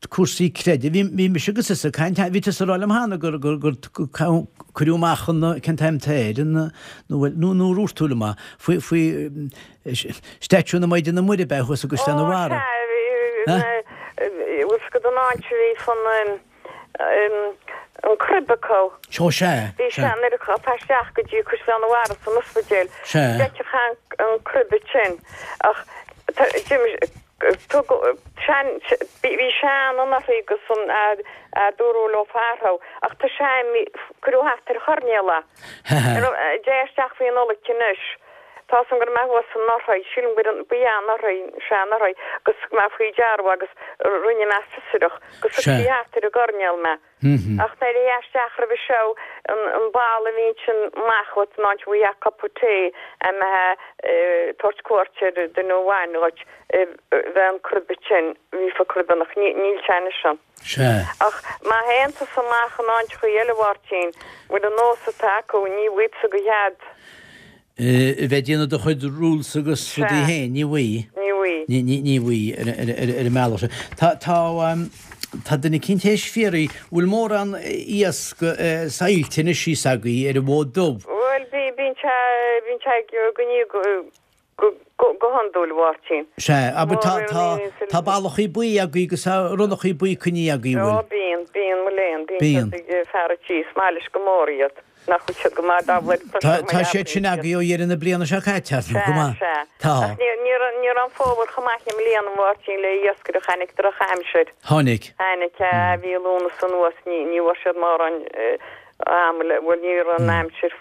Speaker 2: cúrsaí creidimh. Bhí, bhí mise agus tusa ag caint, bhí tusa ag rá liom cheana gur, gur, gur cuireadh amach an, cén t-ainm atá air, an, nó bhuel, nó, nó ar dhúirt tú liom é, faoi, faoi statue na Maighdine Muire ab ea thuas i gCaisleán an
Speaker 1: Ó,
Speaker 2: Bharraigh.
Speaker 1: sea, bhfuil 's agat an áit a bhí fan, an crib acu.
Speaker 2: Ó sea,
Speaker 1: Bhí
Speaker 2: sea.
Speaker 1: sé nuair a chuaigh isteach go dtí Caisleán an Bharraigh san ospidéal.
Speaker 2: Sea.
Speaker 1: D'fheicfeá an crib ansin ach d'imigh tugadh sean bhí sean anuraidh agus an a dúradh leo feartha ach tá sé cuireadh thart ar choirnéal é. Dé isteach faoi Nollaig anois. Tá 's a'm go raibh mé thuas anuraidh, sílim gur ba ea anuraidh, sea anuraidh, agus thug mé faoi deara agus rinne mé fiosrach agus thug sí thart ar an gcoirnéal mé. Ach nuair a théifeá isteach roimhe seo, an balla a bhí ansin amach uait an áit a bhfaighfeá cupa tae a mbeifeá ag tabhairt cuairt ar duine amháin dhuit, bheadh an crib ansin, bhí fa crib ann ach níl sé anois ann.
Speaker 2: Sea.
Speaker 1: Ach má théann tusa amach in áiteachaí eile, a Mháirtín, bhfuil an nós atá acu, ní bhfaighidh tusa go chead.
Speaker 2: A bheith ag déanamh do chuid rules agus rudaí féin, ní bhfaighidh.
Speaker 1: Ní bhfaighidh.
Speaker 2: Ní, ní, ní bhfaighidh ar, ar, ar, ar an mbealach sin. Tá, tá, tá duine eicínt théis fiafraí, bhfuil mórán iasc saillte anois thíos agaibh ar an bhFód Dubh?
Speaker 1: Bhuel, bíonn sé, bíonn sé ag, go, go, go. Go hiondúil, a Mháirtín.
Speaker 2: Sea, abair tá, tá, tá ballachaí buí agaibh agus tá ronnachaí buí coinnithe agaibh, an bhfuil?
Speaker 1: Ó, bíonn, bíonn, mo léan, bíonn siad ag fear a' tí, is maith leis go mór iad. Nach bhfuil siad go maith dá bhfuil
Speaker 2: Tá, tá siad sin agaibh ó dheireadh na bliana seo caite, ar ndóigh, go maith.
Speaker 1: Sea, sea.
Speaker 2: Tá.
Speaker 1: Ach ní, ní raibh, ní raibh an fómhar chomh maith i mbliana, a Mháirtín, le iascaireacht, tháinig drochaimsir.
Speaker 2: Tháinig.
Speaker 1: Tháinig, sea, mhí Lúnasa anuas, ní, ní bhfuair siad mórán ama le, bhuel, ní raibh an aimsir,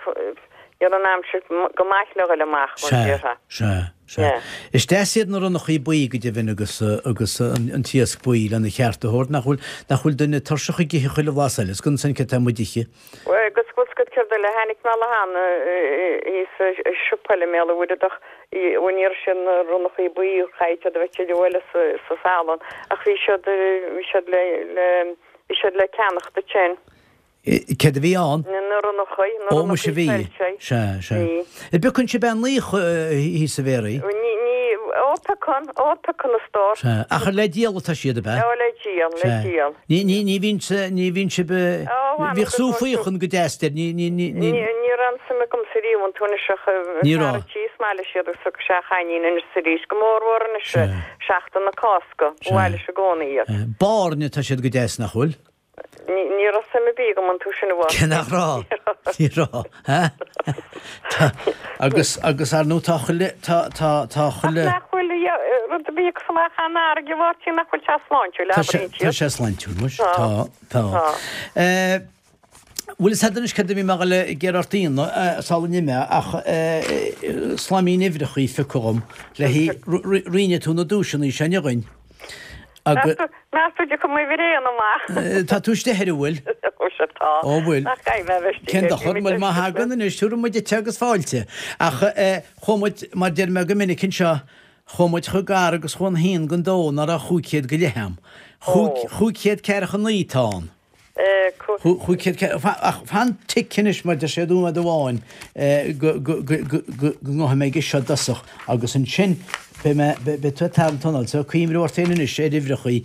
Speaker 1: Ní raibh an aimsir go maith le dhul amach, mar a
Speaker 2: Sea,
Speaker 1: déarfá.
Speaker 2: sea, sea.
Speaker 1: Yeah.
Speaker 2: Is deas iad na ronnachaí buí go deimhin agus, agus an t-iasc buí lena cheart a thabhairt, nach bhfuil, nach bhfuil duine tuirseach ag ithe chuile bhlas eile, is gan san céard tá muid ithe.
Speaker 1: Bhuel, agus bhfuil 's agat céard eile, tháinig mé le hAnna thíos i siopa eile i mBéal an Mhuirthead, bhuel ní raibh siad na ronnachaí buí, chaithfidh siad a bheith tuilleadh eile sa, sa salann, ach bhí siad, bhí siad le, le, bhí siad le ceannacht ansin.
Speaker 2: Céard a bhí ann?
Speaker 1: Na ronnachaí, na
Speaker 2: Ó, muise
Speaker 1: ronnachaí
Speaker 2: bhí.
Speaker 1: soilse.
Speaker 2: Sea, sea.
Speaker 1: Bhí.
Speaker 2: An bpiocann sibh aon ní thíos a Mhéaraí?
Speaker 1: Ní, ní, ó, piocann, ó, piocann a stór.
Speaker 2: Sea. Ach ar le díol atá siad, ab ea?
Speaker 1: Ó, le díol, le
Speaker 2: Sea.
Speaker 1: díol.
Speaker 2: Ní, ní, ní bhíonn, ní bhíonn sibh,
Speaker 1: Ó, bhain
Speaker 2: bhíodh
Speaker 1: go
Speaker 2: sú
Speaker 1: dtí
Speaker 2: faochain go deas deir, ní, ní, ní, ní.
Speaker 1: Ní, ní raibh aon suim agamsa riamh iontu anois ach
Speaker 2: Ní
Speaker 1: fear
Speaker 2: raibh.
Speaker 1: a' tí is maith leis iad agus thug sé a chainnín anois is arís, go mórmhór anois
Speaker 2: Sea.
Speaker 1: seachtain na Cásca, ba
Speaker 2: Sea.
Speaker 1: mhaith leis i gcónaí iad.
Speaker 2: Báirne atá siad go deas, nach bhfuil?
Speaker 1: Ní raibh suim ar bith agam iontu sin a
Speaker 2: Cé nach raibh? Ní raibh. Ha? Tá, agus, agus ar ndóigh tá chuile, tá, tá, tá chuile.
Speaker 1: Ach nach bhfuil rud a bhí ag amach an fharraige, a Mháirtín, nach bhfuil sé sláintiúil,
Speaker 2: Tá sé,
Speaker 1: abraíonn
Speaker 2: tá
Speaker 1: siad.
Speaker 2: sé sláintiúil, muis.
Speaker 1: Tá.
Speaker 2: Tá, tá.
Speaker 1: Tá.
Speaker 2: Eh, bhfuil fhios a'd anois céard a bhí mé a dhul ag iarraidh ort a dhéanamh, sula n-imeá, ach eh, slaimín uimhreachaí a phiocadh dhom le haghaidh, rinne tú na duaiseanna seo inniu dhuinn.
Speaker 1: Agus. Meas tú dtiocfaidh m'uimhir aon amach?
Speaker 2: Tá tú istigh air, an bhfuil?
Speaker 1: Ó sea tá.
Speaker 2: Ó bhfuil.
Speaker 1: Nach gcaithfidh mé a bheith istigh
Speaker 2: Cén
Speaker 1: air,
Speaker 2: dochar, bhuel má thagann anois, tabharfaidh muid duit agus fáilte. Ach chuaigh muid, mar deir mé go minic anseo, chuaigh muid chomh gar agus chuaigh an haon don dó ná raibh 500 go leith a'm. 549 atá ann. Ach fan tic anois mar deir sé nóiméad amháin go ngabhfaidh mé aige seo i dtosach agus ansin beidh mé, beidh tú ag tarraingt anáil so cuimhniú ort féin anois ar uimhreachaí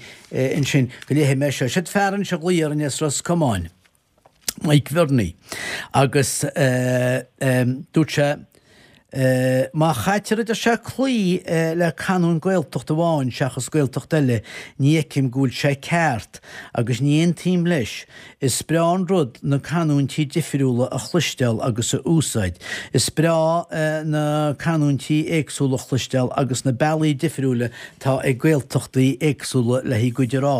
Speaker 2: ansin go léifidh mé seo. Siod fear anseo a ghlaoigh orainn as Ros Comáin, Mike Bhernie, agus dúirt sé, Má chaitear, a deir sé, cloí le canúint Gaeltacht amháin seachas Gaeltacht eile, ní fheicim go bhfuil sé ceart, agus ní aontaím leis. Is breá an rud na canúintí difriúla a chloisteáil agus a úsáid. Is breá na canúintí éagsúla a chloisteáil agus na bealaí difriúla atá ag Gaeltachtaí éagsúla le a gcuid a rá.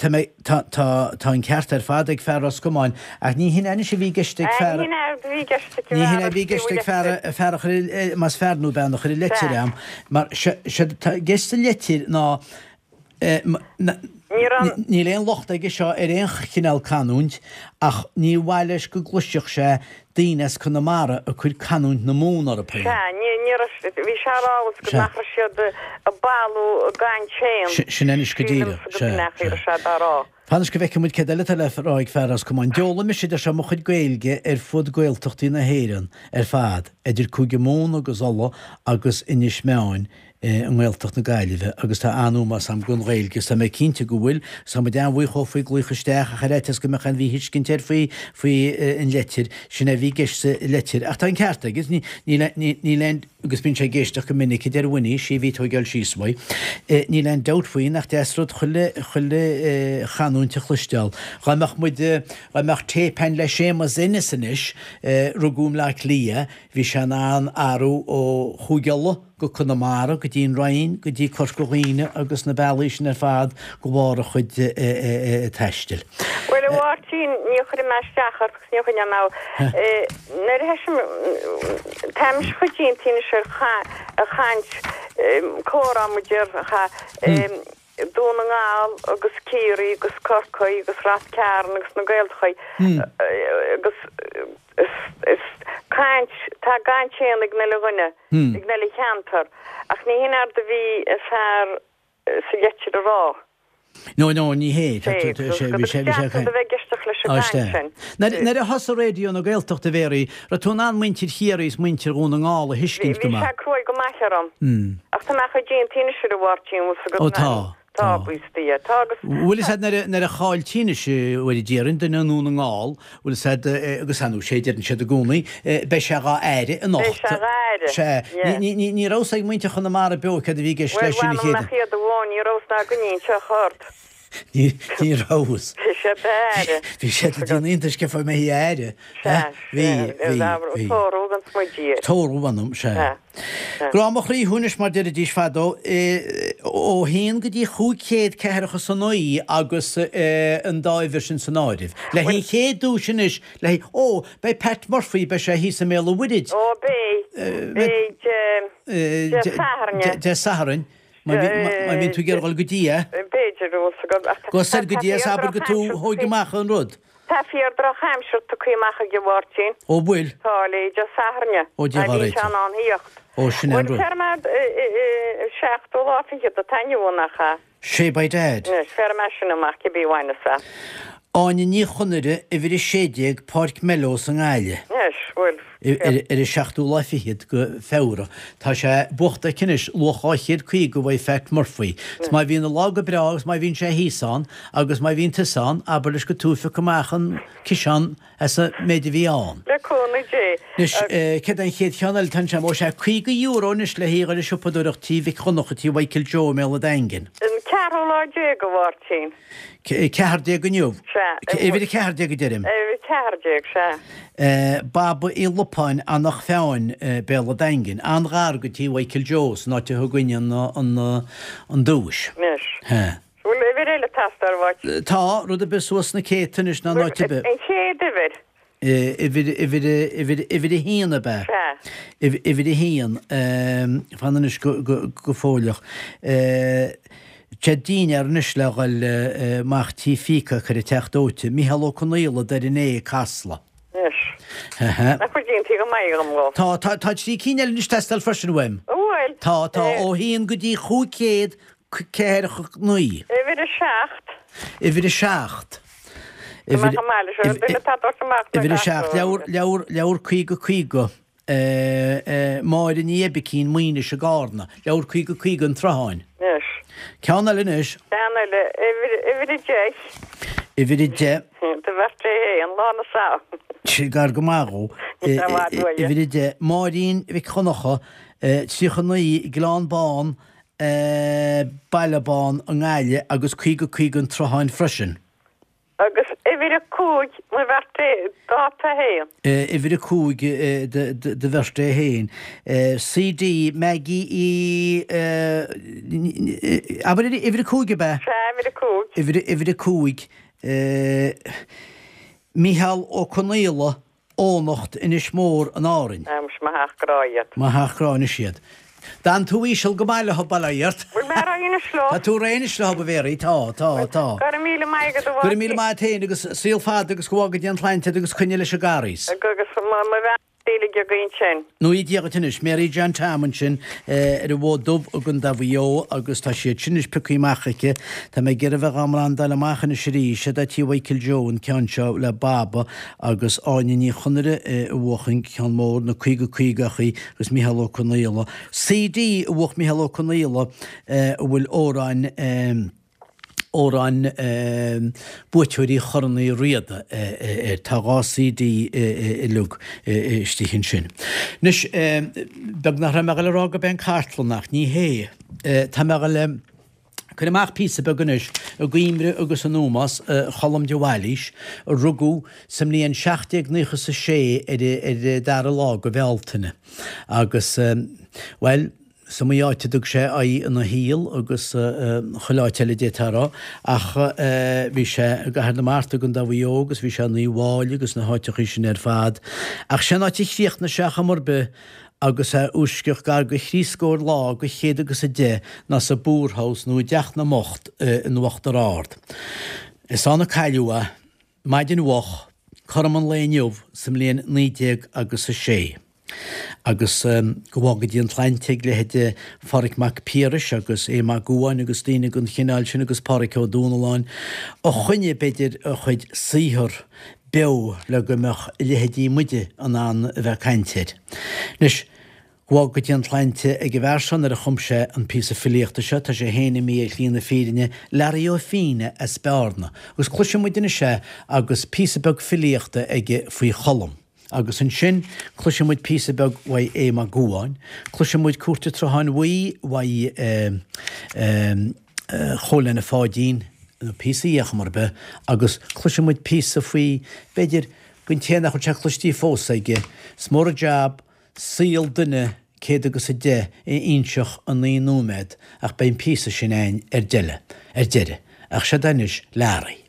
Speaker 2: Tá mé. Tá, tá, tá an ceart ar fad ag fear Ros Comáin, ach ní hin anois a bhí i gceist ag fear,
Speaker 1: Ní hin a bhí i gceist ag
Speaker 2: ní hin a bhí i gceist ag fear, fear a chuir, más fear nó bean a chuir an leitir a'm, mar sé, sé tá i gceist sa leitir ná,
Speaker 1: Ní raibh.
Speaker 2: níl aon locht aige seo ar aon chineál canúint, ach ní mhaith leis go gcloisfeadh sé daoine as Conamara ag cur canúint na Mumhan orthu féin.
Speaker 1: Sea, ní, ní raibh, bhí sé a rá go
Speaker 2: Sea.
Speaker 1: nach raibh siad ag bailiú a gcaint féin.
Speaker 2: Sin anois go
Speaker 1: Sílim
Speaker 2: díreach.
Speaker 1: go
Speaker 2: Sea,
Speaker 1: b'in é a
Speaker 2: sea.
Speaker 1: raibh sé dá rá.
Speaker 2: Fan anois go bhfeicfidh muid céard eile atá le rá ag fear Ros Comáin. D'fhoghlaim mise, deir sé, mo chuid Gaeilge ar fud Gaeltachtaí na hÉireann ar fad, idir Cúige Mumhan agus Uladh agus Inis Meáin, i nGaeltacht na Gaillimhe agus tá an-ómós a'm don Ghaeilge agus tá mé cinnte go bhfuil agus tá muid an-bhuíoch dhó faoi glaoch isteach ach ar fhaitíos go mbeadh aon mhíthuiscint air faoi faoi an leitir, sin é a bhí i gceist sa leitir. Ach tá an ceart aige, ní níl níl aon agus bíonn sé ag éisteacht go minic a deir Winnie, sí a bhí ag tóigeáil síos uaidh, níl aon dabht faoi nach deas rud chuile chuile chanúint a chloisteáil. Dhá mbeadh muid dhá mbeadh téip a'inn le Séamus Ennis anois, rugadh i mBleá Cliath, bhí sé in ann athrú ó Chúige Uladh, go Conamara, go dtí an Rinn, go dtí Corca Dhuibhne agus na bealaí sin ar fad de bharr a chuid taistil.
Speaker 1: Bhuel, a Mháirtín, ní chuirfidh mé isteach ort agus ní choinneoidh mé nuair a thoisigh, táimis chomh déanta anois ar chaint, comhrá muid ar Dún na nGall agus Ciarraí agus Corcaigh agus Rath Cairn agus na Gaeltachtaí agus is caint, tá a gcaint féin ag an uile dhuine, ag an uile cheantar ach ní hin éard a bhí an fear sa leitir a rá.
Speaker 2: No, no, ní hé.
Speaker 1: Sé, bhí sé, bhí sé a bheith ag éisteacht leis an gcaint sin.
Speaker 2: Nuair a thosaigh Raidió na Gaeltachta, a Mhéaraí, raibh tú in ann muintir Chiarraí is muintir Dhún na nGall a thuiscint go
Speaker 1: maith? Bhí sé cruaidh go maith orm. Ach tá mé chomh déanta anois ar a Mháirtín, bhfuil 's agat.
Speaker 2: Ó tá.
Speaker 1: Tá, buíochas do Dhia. Tá agus.
Speaker 2: Bhfuil fhios a'd nuair a chailltí anois uair a déarfainn duine i nDún na nGall, bhfuil fhios a'd, agus ar ndóigh sé deireann siad i gcónaí, beidh sé dhá aire anocht.
Speaker 1: Beidh sé dhá aire.
Speaker 2: Sea. Yeah. Ní, ní, ní raibh fhios ag muintir Chonamara beo céard a bhí i gceist leis sin
Speaker 1: a
Speaker 2: chéad.
Speaker 1: Bhuel, mh'anam nach iad amháin, ní raibh fhios ná againne anseo chor.
Speaker 2: Ní, ní raibh fhios.
Speaker 1: Bhí sé dá aire.
Speaker 2: Bhí siad ag déanamh iontais cén fáth a mbeifí á aire.
Speaker 1: Sea,
Speaker 2: Bhí, bhí, bhí.
Speaker 1: Tórramh gan smuidí air.
Speaker 2: Tórramh, mh'anam, sea.
Speaker 1: Sea.
Speaker 2: Grá mo chroí thú anois mar deiridís fadó, ó haon go dtí chúig chéad ceathracha 's a naoi agus an dá uimhir sin san áireamh. Le haghaidh an chéad duais anois, le haghaidh, ó, beidh Pat Murphy, beidh sé thíos i mBéal an Mhuirthid.
Speaker 1: Ó, beidh, beidh Dé Sathairn.
Speaker 2: Dé Sathairn, má bhíonn tú ag iarraidh dul go dtí é.
Speaker 1: B'fhéidir, bhfuil 's agam.
Speaker 2: Gabh soir go dtí é is abair go tú thóig amach an rud.
Speaker 1: Tá fíor droch aimsir tugtha amach ag an Mháirtín.
Speaker 2: Ó bhfuil?
Speaker 1: Tá, le Dé Sathairn.
Speaker 2: Ó Dia
Speaker 1: Má
Speaker 2: dhá
Speaker 1: bhíonn
Speaker 2: réiteach.
Speaker 1: sé in ann thíocht.
Speaker 2: Ó sin é an
Speaker 1: Bhuel,
Speaker 2: rud.
Speaker 1: féarfaidh mé seachtú lá fichead atá inniu ann, nach ea?
Speaker 2: Sé by dad.
Speaker 1: Anois, féarfaidh mé sin amach, cibé bhaineas é.
Speaker 2: Áine Ní Chonaire, uimhir 16, Páirc Mellows i nGaillimh.
Speaker 1: Anois, bhuel,
Speaker 2: Ar an seachtú lá fichead go Feabhra. Tá sé buachta aici anois, luach 250 uaidh Phat Murphy. 'S má bhíonn an lá go breá agus má bhíonn sé thíos ann agus má bhíonn tusa ann, abair leis go tú a phioc amach an ciseán as an méid a bhí ann.
Speaker 1: Le cúnamh Dé.
Speaker 2: Anois, céard é an chéad cheann eile atá anseo? Ó sea, €50 anois le haghaidh dhul ag siopadóireacht tí Mhic Dhonncha, tí Mhichael Joe i mBéal an Daingin.
Speaker 1: An ceathrú lá déag, a Mháirtín.
Speaker 2: 14 inniu.
Speaker 1: Sea.
Speaker 2: Uimhir 14 a deirim.
Speaker 1: Uimhir 14,
Speaker 2: sea. Baba Uí Lupáin, Eanach Mheáin, Béal an Daingin. An-ghar go tí Mhichael Joe, san áit a thug an an duais.
Speaker 1: Anois.
Speaker 2: Sea.
Speaker 1: Bhfuil uimhir eile ag teastáil uait?
Speaker 2: Tá, rud ar bith suas sna céadta anois ná in áit ar bith.
Speaker 1: An chéad uimhir.
Speaker 2: Uimhir, uimhir, uimhir, uimhir a haon ab ea?
Speaker 1: Sea.
Speaker 2: Uimhir a haon, fan anois go, go, go fóilleach. Tá dinnéar anois le dhul amach tí Phíoca ar an Teach Dóite. Micheál Ó Conaola, Doire an Fhéich, Casla.
Speaker 1: Anois. Nach bhfuil déanta go maith agam dhó.
Speaker 2: Tá, tá, tá trí cinn eile anois ag teastáil freisin uaim.
Speaker 1: An bhfuil?
Speaker 2: Tá, tá, ó haon go dtí 500 49.
Speaker 1: Uimhir a seacht.
Speaker 2: Uimhir a seacht.
Speaker 1: Uimhir
Speaker 2: a seacht. Leabhar, leabhar, leabhar 50 50. Máire Ní Oibicín, Maínis i gCarna. Leabhar 50 50 an tSrutháin.
Speaker 1: Anois.
Speaker 2: Ceann eile anois.
Speaker 1: Ceann eile. Uimhir, uimhir a deich.
Speaker 2: Uimhir a deich.
Speaker 1: Do bheirt é féin, lá na sa.
Speaker 2: Sin gar go maith dhó. Uimhir a deich. Máirín Mhic Dhonncha, 39, Gleann Bán, Baile Bán i nGaillimh agus 50 50 an tSrutháin freisin.
Speaker 1: Agus uimhir a cúig mo bheirt é, dáta féin.
Speaker 2: Uimhir a cúig do bheirt é féin. CD Maggie Uí Abair uimhir a cúig ab ea?
Speaker 1: Sea, uimhir a cúig.
Speaker 2: Uimhir a cúig. Micheál Ó Conaola Eoghanacht, Inis Mór in Árainn.
Speaker 1: Á, muis, mo theach grá iad.
Speaker 2: Mo theach grá anois iad. D'fhan tú íseal go maith leo, bail ó Dhia ort.
Speaker 1: Bhfuil mé réidh anois leo?
Speaker 2: Tá tú réidh anois leo, a Mhéaraí, tá, tá, tá.
Speaker 1: Go raibh míle maith agat, a
Speaker 2: Go raibh míle maith agat féin agus saol fada agus go bhfága Dia an tsláinte agat agus coinnigh leis an gCarghas.
Speaker 1: Agus mo bhean uilig againn sin.
Speaker 2: Ní Dia dhuit anois, Mary John Tom ansin ar an bhFód Dubh i gContae Mhaigh Eo agus tá siad sin anois pioctha amach aici. Tá mé ag iarraidh a bheith dhá mbrandáil amach anois arís. Sé do tí Mhichael Joe an ceann seo le Baba agus Áine Ní Chonaire a bhuach an ceann mór, na 50 50 agus Micheál Ó Conaola. CD a bhuach Micheál Ó Conaola a bhfuil amhráin amhráin buaiteoirí Chorn Uí Riada air. Tá dhá CD uilig istigh ansin. Anois, beag nach raibh mé ag dul a rá gurb é an cartlann ach ní hé. Tá mé ag dul a cur amach píosa beag anois i gcuimhne agus in ómós Cholm de Bhailís, a rugadh sa mbliain 1796 ar an dara lá de Bhealtaine agus, bhuel, Is iomaí áit a dtug sé aghaidh ina shaol agus chuile áit eile d'fhéadfá a rá, ach bhí sé i gCathair na Mart i gContae Mhaigh Eo agus bhí sé in Uíbh Fháilí agus na háiteachaí sin ar fad. Ach sé an áit a chríochnaigh sé ar chuma ar bith agus é uaisceach gar go thrí scór lá go chéad agus a deich ná sa bPoorhouse nó i dTeach na mBocht in Uachtar Ard. Is ann a cailleadh é. Maidin mhoch, cothrom an lae inniu sa mbliain 19 agus a sé. Agus go bhfága Dia an tsláinte ag leithéide Pháraic Mac Piarais agus Aodh Mac Gabhann agus daoine den chineál sin agus Páraic Ó Dúnalláin a choinnigh b'fhéidir a chuid saothar beo le go mbeadh leithéidí muide in ann a bheith ag caint air. Anois. Gabháil go dtí an tsláinte ag an bhfear seo nuair a chum sé an píosa filíochta seo, tá sé féin imithe ar shlí na fírinne, Learaí Ó Fíne as Bearna. Agus cloisfidh muid anois é agus píosa beag filíochta aige faoi Cholm. Agus ansin cloisfidh muid píosa beag uaidh Aodh Mac Gabhann, cloisfidh muid Cúirt an tSrutháin Bhuí uaidh Chóil Leaine Pháidín, nó píosa dhe ar chuma ar bith, agus cloisfidh muid píosa faoi, b'fhéidir, don té nach bhfuil sé cloistí fós aige, is mór an jab, saol duine 110 agus a inseacht i 9 nóiméad ach beidh an píosa sin a'inn ar deireadh, ar deireadh. Ach seod é anois Learaí.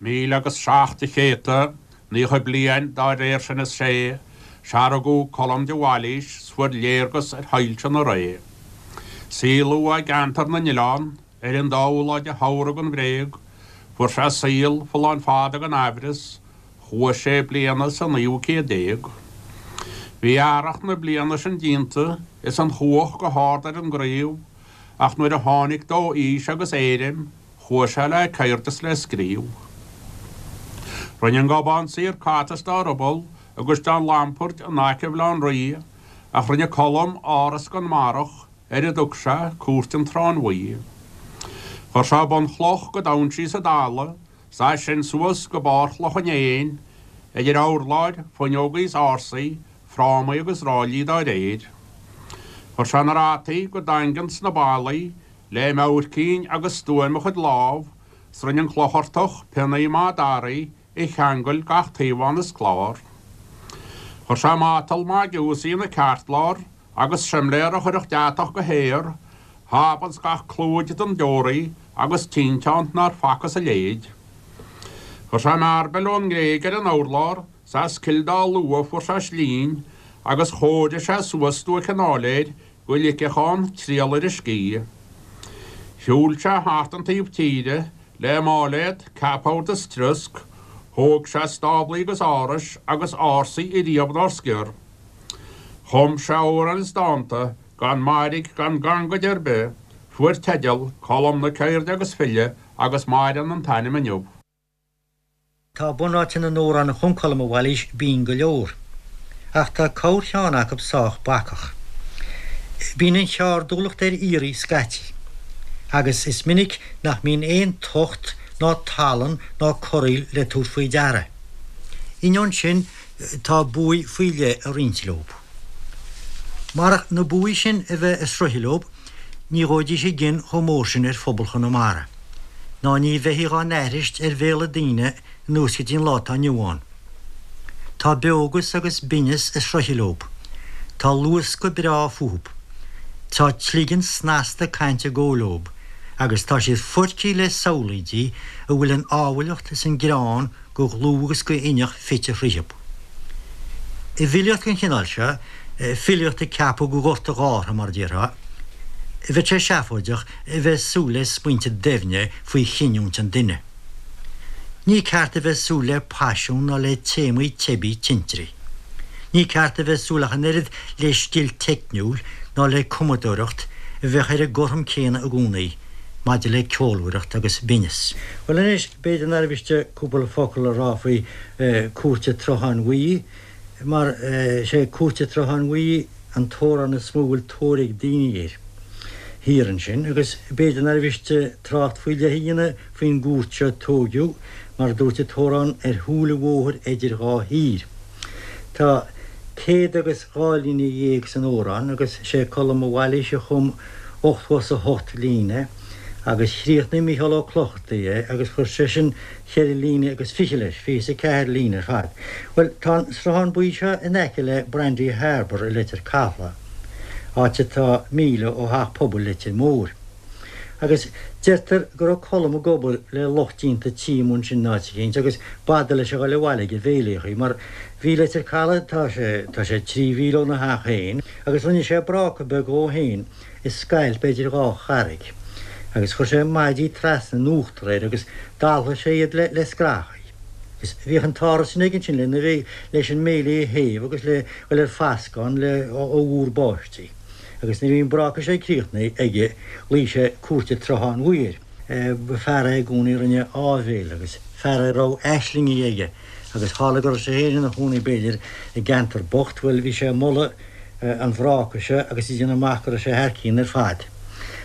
Speaker 3: Míle agus seacht de chéadta, 90 bliain dá réir sin is sé, 'sea rugadh Colm de Bhailís 's fuair léargas ar shoilse na ré. Saolaíodh é i gceantar na n-oileán, ar an dóú lá de shamhradh an bhréag, fuair sé saol folláin fada gan aimhreas, Chuaigh sé bliana sa naoú 100 déag. Bhí earrach na bliana sin díonta is an chuach go hard ar an gcraobh, ach nuair a tháinig dó aois agus éirim, chuaigh sé le ceird is le scríobh. Rinne an Gobán Saor cat as dá ruball agus dá lampard in aice Bhaile Átha an Rí, ach rinne Colm áras don mbarrach ar a dtug sé Cúirt an tSrutháin Bhuí. Chuir sé bunchloch go domhain síos i dtalamh 's as sin suas go barr Chloch an Éin, idir urláir, fuinneogaí is ársaí, frámaí agus ráillí dá réir. Chuir sé na rataí go daingean sna ballaí le meabhaircín agus stuaim a chuid lámh, 's rinne an Clochartach pionnaí maith daraí a cheangail gach taobhán is clár. Chuir sé matal maith giúsaí ina ceartlár agus simléar a chuirfeadh deatach go haer, háb ins gach clúid don deoraí agus tinteán nár facthas a leithéid. Chuir sé mearbaill ón nGréig ar an urlár 's as Cill Dá Lua fuair sé slinn agus chóirigh sé suas stuaic an áiléir go ligfeadh ann triall ar a scíth. Shiúil sé thart an taobh tíre le máiléad, ceapbhord is triosc, thóg sé stáblaí agus árais agus ársaí ariamh nár sciorr. Chum sé amhráin is dánta gan mairg gan gangaid ar bith, fuair teideal, Colm na Ceirde agus File agus maireann an t-ainm inniu.
Speaker 4: Tá bunáite na n-amhrán a chum Colm Ó Bhailís binn go leor, ach tá corrcheann acu sách bacach. Bíonn an cheárdúlacht ar iarraidh scaití, agus is minic nach mbíonn aon tocht ná tallann ná corraíl le tabhairt faoi deara. Ainneoin sin, tá buaidh faoi leith ag roinnt leo. Marach na buaidh sin a bheith ag sroicheadh leo, ní ghabhfaidís i gcion chomh mór sin ar phobal Chonamara, ná ní bheifí dhá n-aithrist ar bhéala daoine anuas go dtí an lá atá inniu ann. Tá beogas agus binneas ag sroicheadh leo. Tá luascadh breá fúthu. Tá cloigeann snasta cainte ag gabháil leo, agus tá siad foircithe le samhlaoidí a bhfuil an ábhailleacht is an greann go dhlúth agus go hinneach fite thríothu. I bhfilíocht den chineál seo, filíocht a ceapadh go ghort a' ghártha, mar a déarfá, bheadh sé seafóideach a bheith ag súil le smaointe doimhne faoi chinniúint an duine. Ní ceart a bheith ag súil le paisean ná le téamaí teibí tintrí. Ní ceart a bheith ag súil ach an oiread le scil teicniúil ná le cumadóireacht a bheadh ar an gcothrom céanna i gcónaí maidir le ceolmhaireacht agus binneas. Bhuel anois, b'fhéidir nár mhiste cúpla focal a rá faoi Cúirt an tSrutháin Bhuí, mar is é Cúirt an tSrutháin Bhuí an t-amhrán is mó a bhfuil tóir ag daoine air thiar ansin, agus b'fhéidir nár mhiste trácht faoi leith a dhéanamh faoin gcúirt seo a tóigeadh, mar a dúirt an t-amhrán, ar shúil an bhóthair eidir dhá thír. Tá céad agus dhá líne dhéag san amhrán, agus sé Colm Ó Bhailís a chum 88 líne, agus chríochnaigh Mícheál Ó Clochartaigh é agus chuir seisean cheithre líne agus fiche leis, 24 líne ar fad. Bhuel, tá an Sruthán Buí seo in aice le Brandy Harbour i Leitir Cathlach, áit atá míle ó theach pobail Leitir Móir. Agus deirtear go raibh Colm ag obair le lucht déanta tí amuigh ansin in áit eicínt agus b'fhada leis a ghoil abhaile ag an bhféilíochaí mar bhí Leitir Caladh, tá sé, tá sé trí mhíle óna theach féin, agus rinne sé bráca beag dhó féin i scoilt b'fhéidir dhá charraig agus chuir sé maidí trasna in uachtar air agus d'althaigh sé iad le le scrathaí. Agus bhíodh an t-áras sin aige ansin lena bhí leis an mbéilí a théamh agus le dhul ar fascán le ó mhúr báistí. Agus nuair a bhí an bráca seo críochnaithe aige ghlaoigh sé Cúirt an tSrutháin Bhuí air. Ba fear é i gcónaí a rinne áibhéil agus fear é a raibh aislingí aige agus tharla go raibh sé féin ina chónaí b'fhéidir i gceantar bocht, bhuel bhí sé ag moladh. an bhráca seo agus ag déanamh amach go raibh sé thar cionn ar fad.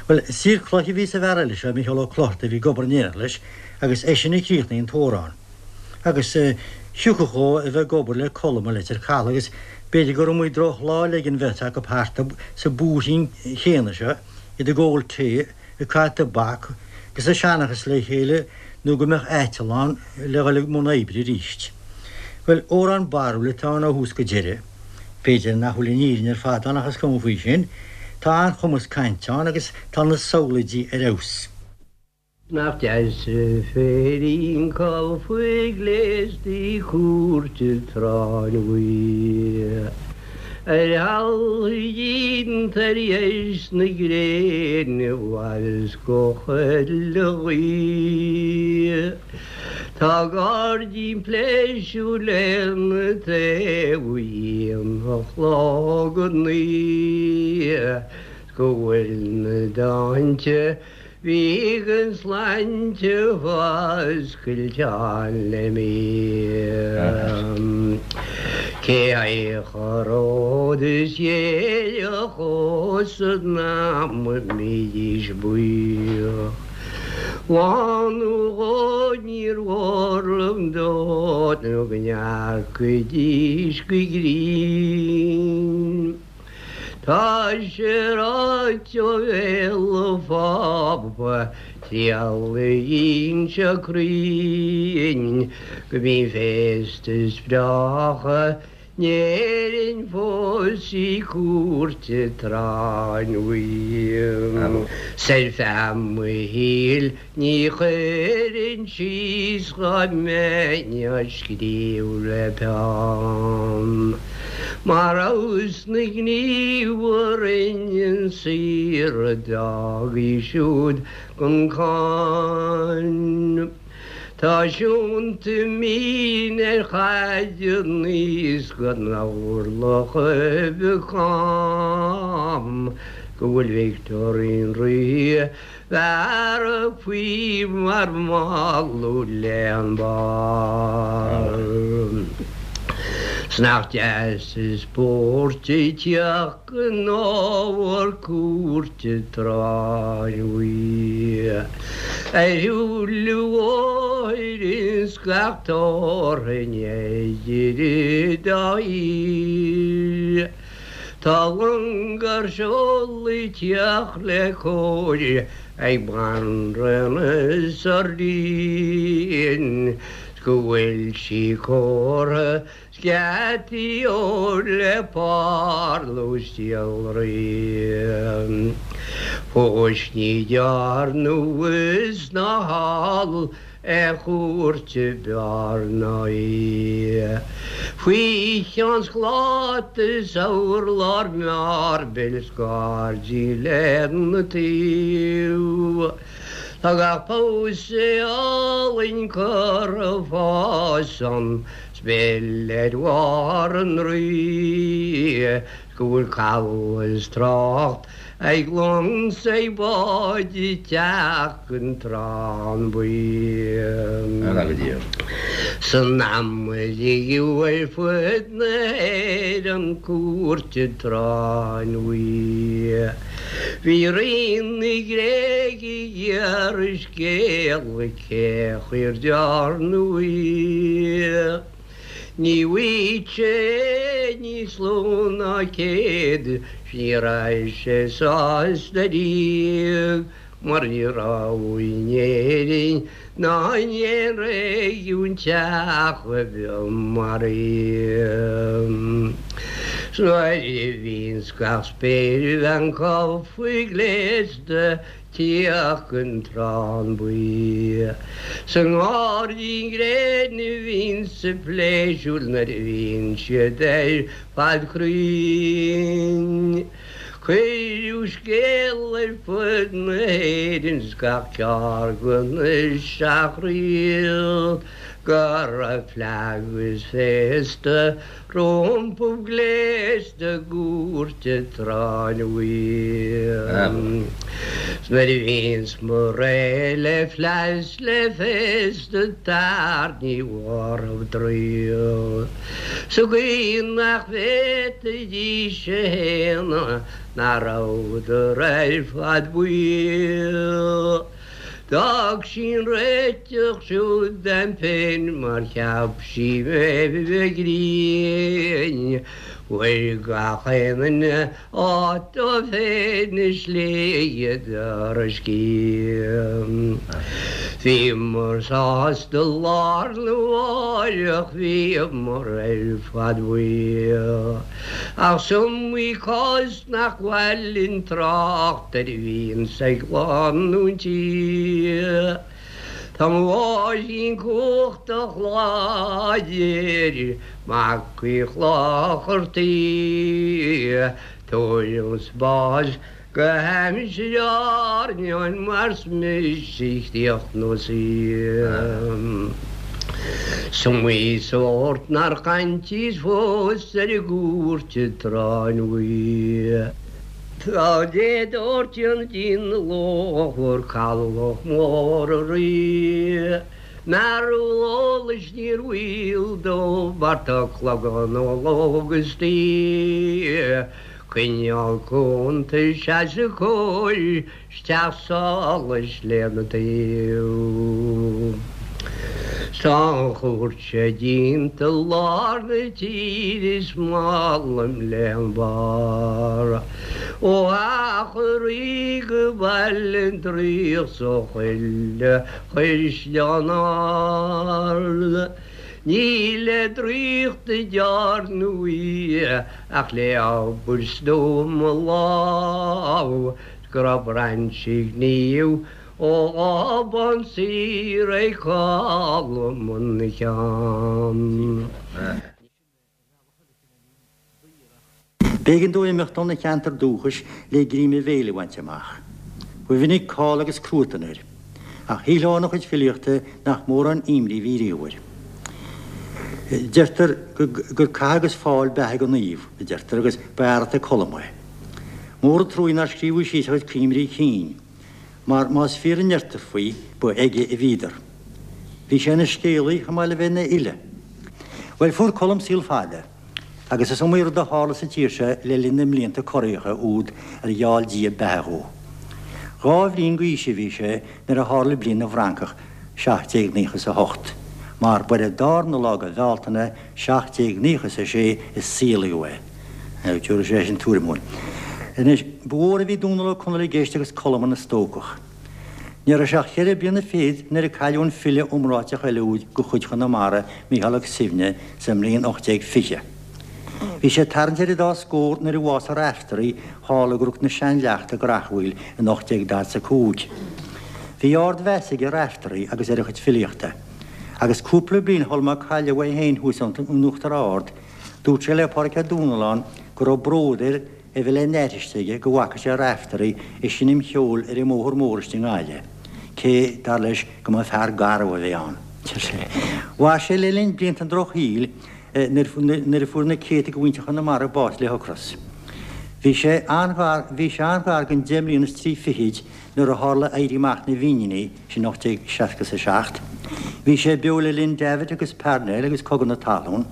Speaker 4: Bhuel, saor cloiche a bhí sa bhfear eile seo, Micheál Ó Clochartaigh, a bhí ag obair in éineacht leis agus eisean a chríochnaigh an t-amhrán. Agus thiocfadh dhó a bheith ag obair le Colm i Leitir Caladh agus b'fhéidir gur iomaí drochlá a leig an bheirt acu thart sa bhúirthín chéanna seo, iad ag ól tae, ag caitheamh tobac agus ag seanchas le chéile nó go mbeadh aiteal ann le dhul i mbun oibre arís. Bhuel, amhrán barrúil atá ann ó thús go deireadh. B'fhéidir nach bhfuil an fhírinne ar fad ann ach is cuma faoi sin. Tá an-chumas cainte ann agus tá na samhlaoidí ar fheabhas.
Speaker 5: Nach deas an féirín calfa gléasta cúirte Tráin Bhuí Ar thalamh tar éis na gréine bhfad go chuile ghaoth. Tá gairdín pléisiúir lena taobh ó aon a chlog go 9 's go bhfuil na dtonnta Bhíodh an slainte foscailteán le mí. Cé a ród is dhéileach os an am a mbídís buíoch. Lá nó dhó níor mhór liom dó nó go ndearcaidís go grinn. Tá sé ráite ó bhéal an Phápa triail a inse cruinn go mbíonn féasta is breátha in Éirinn fós i gcúirt an tSráin Bhuí. 'S ar feadh mo shaoil Ní chuirfinn síos dhá mbeinn á scríobh le peann Mar fheabhas na ngníomh a rinne an saor a d'fhág í siúd gan cáin. Tá siúnta mín ar chaid aníos go n-orlach cam go bhfuil Victorine Rí Bhearradh faoi mar mholadh len barr. 'S nach deas is spóirt ag teacht go ábhar cúirte Tráin Bhuí. Ar shiúl an bhóthair ins gach tabharfainn idir an dá thír. Tá long ar seol ag teacht le cóir ag Banríon Sairdín 's go bhfuil sí cóirthe 's geataí óir le parlús iolraí. Fós ní dhearnadh abhus ná thall Aon chúirt a b'fhearr ná í. Faoi cheann scláta is urlár meirbil 's gairdín lena taobh. Tá gach pósadh álainn curtha fá san 's mil ar bharr an rí 's go bhfuil caladh is trácht Ag long 's ag báid ag teacht gon Trán Buí. San am a ligeadh ar fud na hÉireann cúirt an tSráin Bhuí. Bhí Rí na Gréige ag iarraidh scéala cé chaoi ar dearnadh í. Ní bhfaigheadh sé níos lú ná 100 's ní raibh sé sásta riamh mar ní raibh in Éirinn ná in aon réigiún teach ar bith mar í. 'S nuair a bhíonns gach spéirbhean calfa gléasta Teacht gon Trán Buí. Sa ngairdín gréine a bhíonns a pléisiúr nuair a bhíonn siad ar fad cruinn. Cuireadh scéal ar fud na hÉireann 's gach ceard go na seacht ríocht. Go raibh fleadh is féasta rompu gléasta i gcúirt an tSráin Bhuí. 'S nuair a bhíonns muid réidh le fleadh is le féasta tar ní mhairfeadh draoi. Sa gcaoi nach bhféadfaidís a shéanadh nach rabhadar ar fad buí. D'fhág sí an réiteach siúd dom féin mar cheap sí mé a bheith grinn. Fuair gach aon duine áit dó féin i slighe ar a sciath. Bhíomar sásta lá arna mháireach bhíomar ar fad buí. Ach 's iomaí cás nach mhaith linn trácht air a bhíonns ag lánúintí. Tá mo mháithrín cumhachtach láidir, mac Uí Chlochartaigh, tuairim 's bás go haimsir Áirneáin mar 's mise a chríochnós í. 'S iomaí sórt nár chaintíos fós ar an gcúirt an tSráin Bhuí. Tá Dé Dóirt an díon ló fuair cabhlach mór a rí. Mearbhall eolais níor bhaol dó mar tá clogann ó lógastaí. Coinneáil cuntais as a cóir 's teach solais lena taobh. 'S tá an chúirt seo déanta i lár na tíre is maith liom léan barr. Ó Theach an Rí go Baile an Traoich 's ó chuile chaisleán ard. Ní le draíocht a dearnadh í ach le obair stuama lámh. Go raibh brainse gníomh ó Ghobán saor ag Colm ina cheann.
Speaker 4: B'éigean dó imeacht óna cheantar dúchais le greim a bhéil a bhaint amach. Ba mhinic call agus cruatan air. Ach shílfeá óna chuid filíochta nach mórán imní a bhí riamh air. Deirtear gur cath agus fál beatha do naomh, a deirtear, agus ba fhear ata Colm é. Mór an truaí nár scríobhadh síos a chuid cuimhní cinn, mar más fíor a ndeirtear faoi, ba aige a bhíodar. Bhí sé ina scéalaí chomh maith le bheith ina fhile. Bhuel, fuair Colm saol fada, agus is iomaí rud a tharla sa tír seo le linn na mblianta corraitheacha úd ar gheall Dia beatha dhó. Dhá bhliain d'aois a bhí sé nuair a tharla Bliain na bhFrancach, 1798, mar ba ar an darna lá de Bhealtaine 1796 a saolaíodh é. Tabharfaidh sé sin tuairim dhúinn. Anois, ba mhór a bhí Dónall Ó Conaill i gceist agus Colm ina stócach. Ní raibh sé ach cheithre bliana fichead nuair a cailleadh an file iomráiteach eile úd de chuid Chonamara, Mícheál Ó Suibhne, sa mbliain 1820. Bhí sé ag tarraingt ar an dá scór nuair a bhásaigh Raiftearaí thall i gCnoc na Seanleachta i gCreachmhaoil in 1845. Bhí ard-mheas aige ar Raiftearaí agus ar a chuid filíochta. Agus cúpla bliain shul má cailleadh é féin thuas in Uachtar Ard, Dúirt sé le Pádraig Ó Dúnalláin go raibh bród air a bheith le n-aithris aige go bhfaca sé Raiftearaí ag seinm cheoil ar an mbóthar mór istigh i nGaillimh, cé, dar leis, go mba fear garbh a bhí ann. Mhair sé le linn blianta an drochshaoil nuair a fuair na céadta de mhuintir Chonamara bás le hocras. Bhí sé an-ghar bhí sé an-ghar don deich mbliana is trí fichid nuair a tharla Éirí Amach na bhFíníní, sin 1867. Bhí sé beo le linn Davitt agus Parnell agus Cogadh na Talún,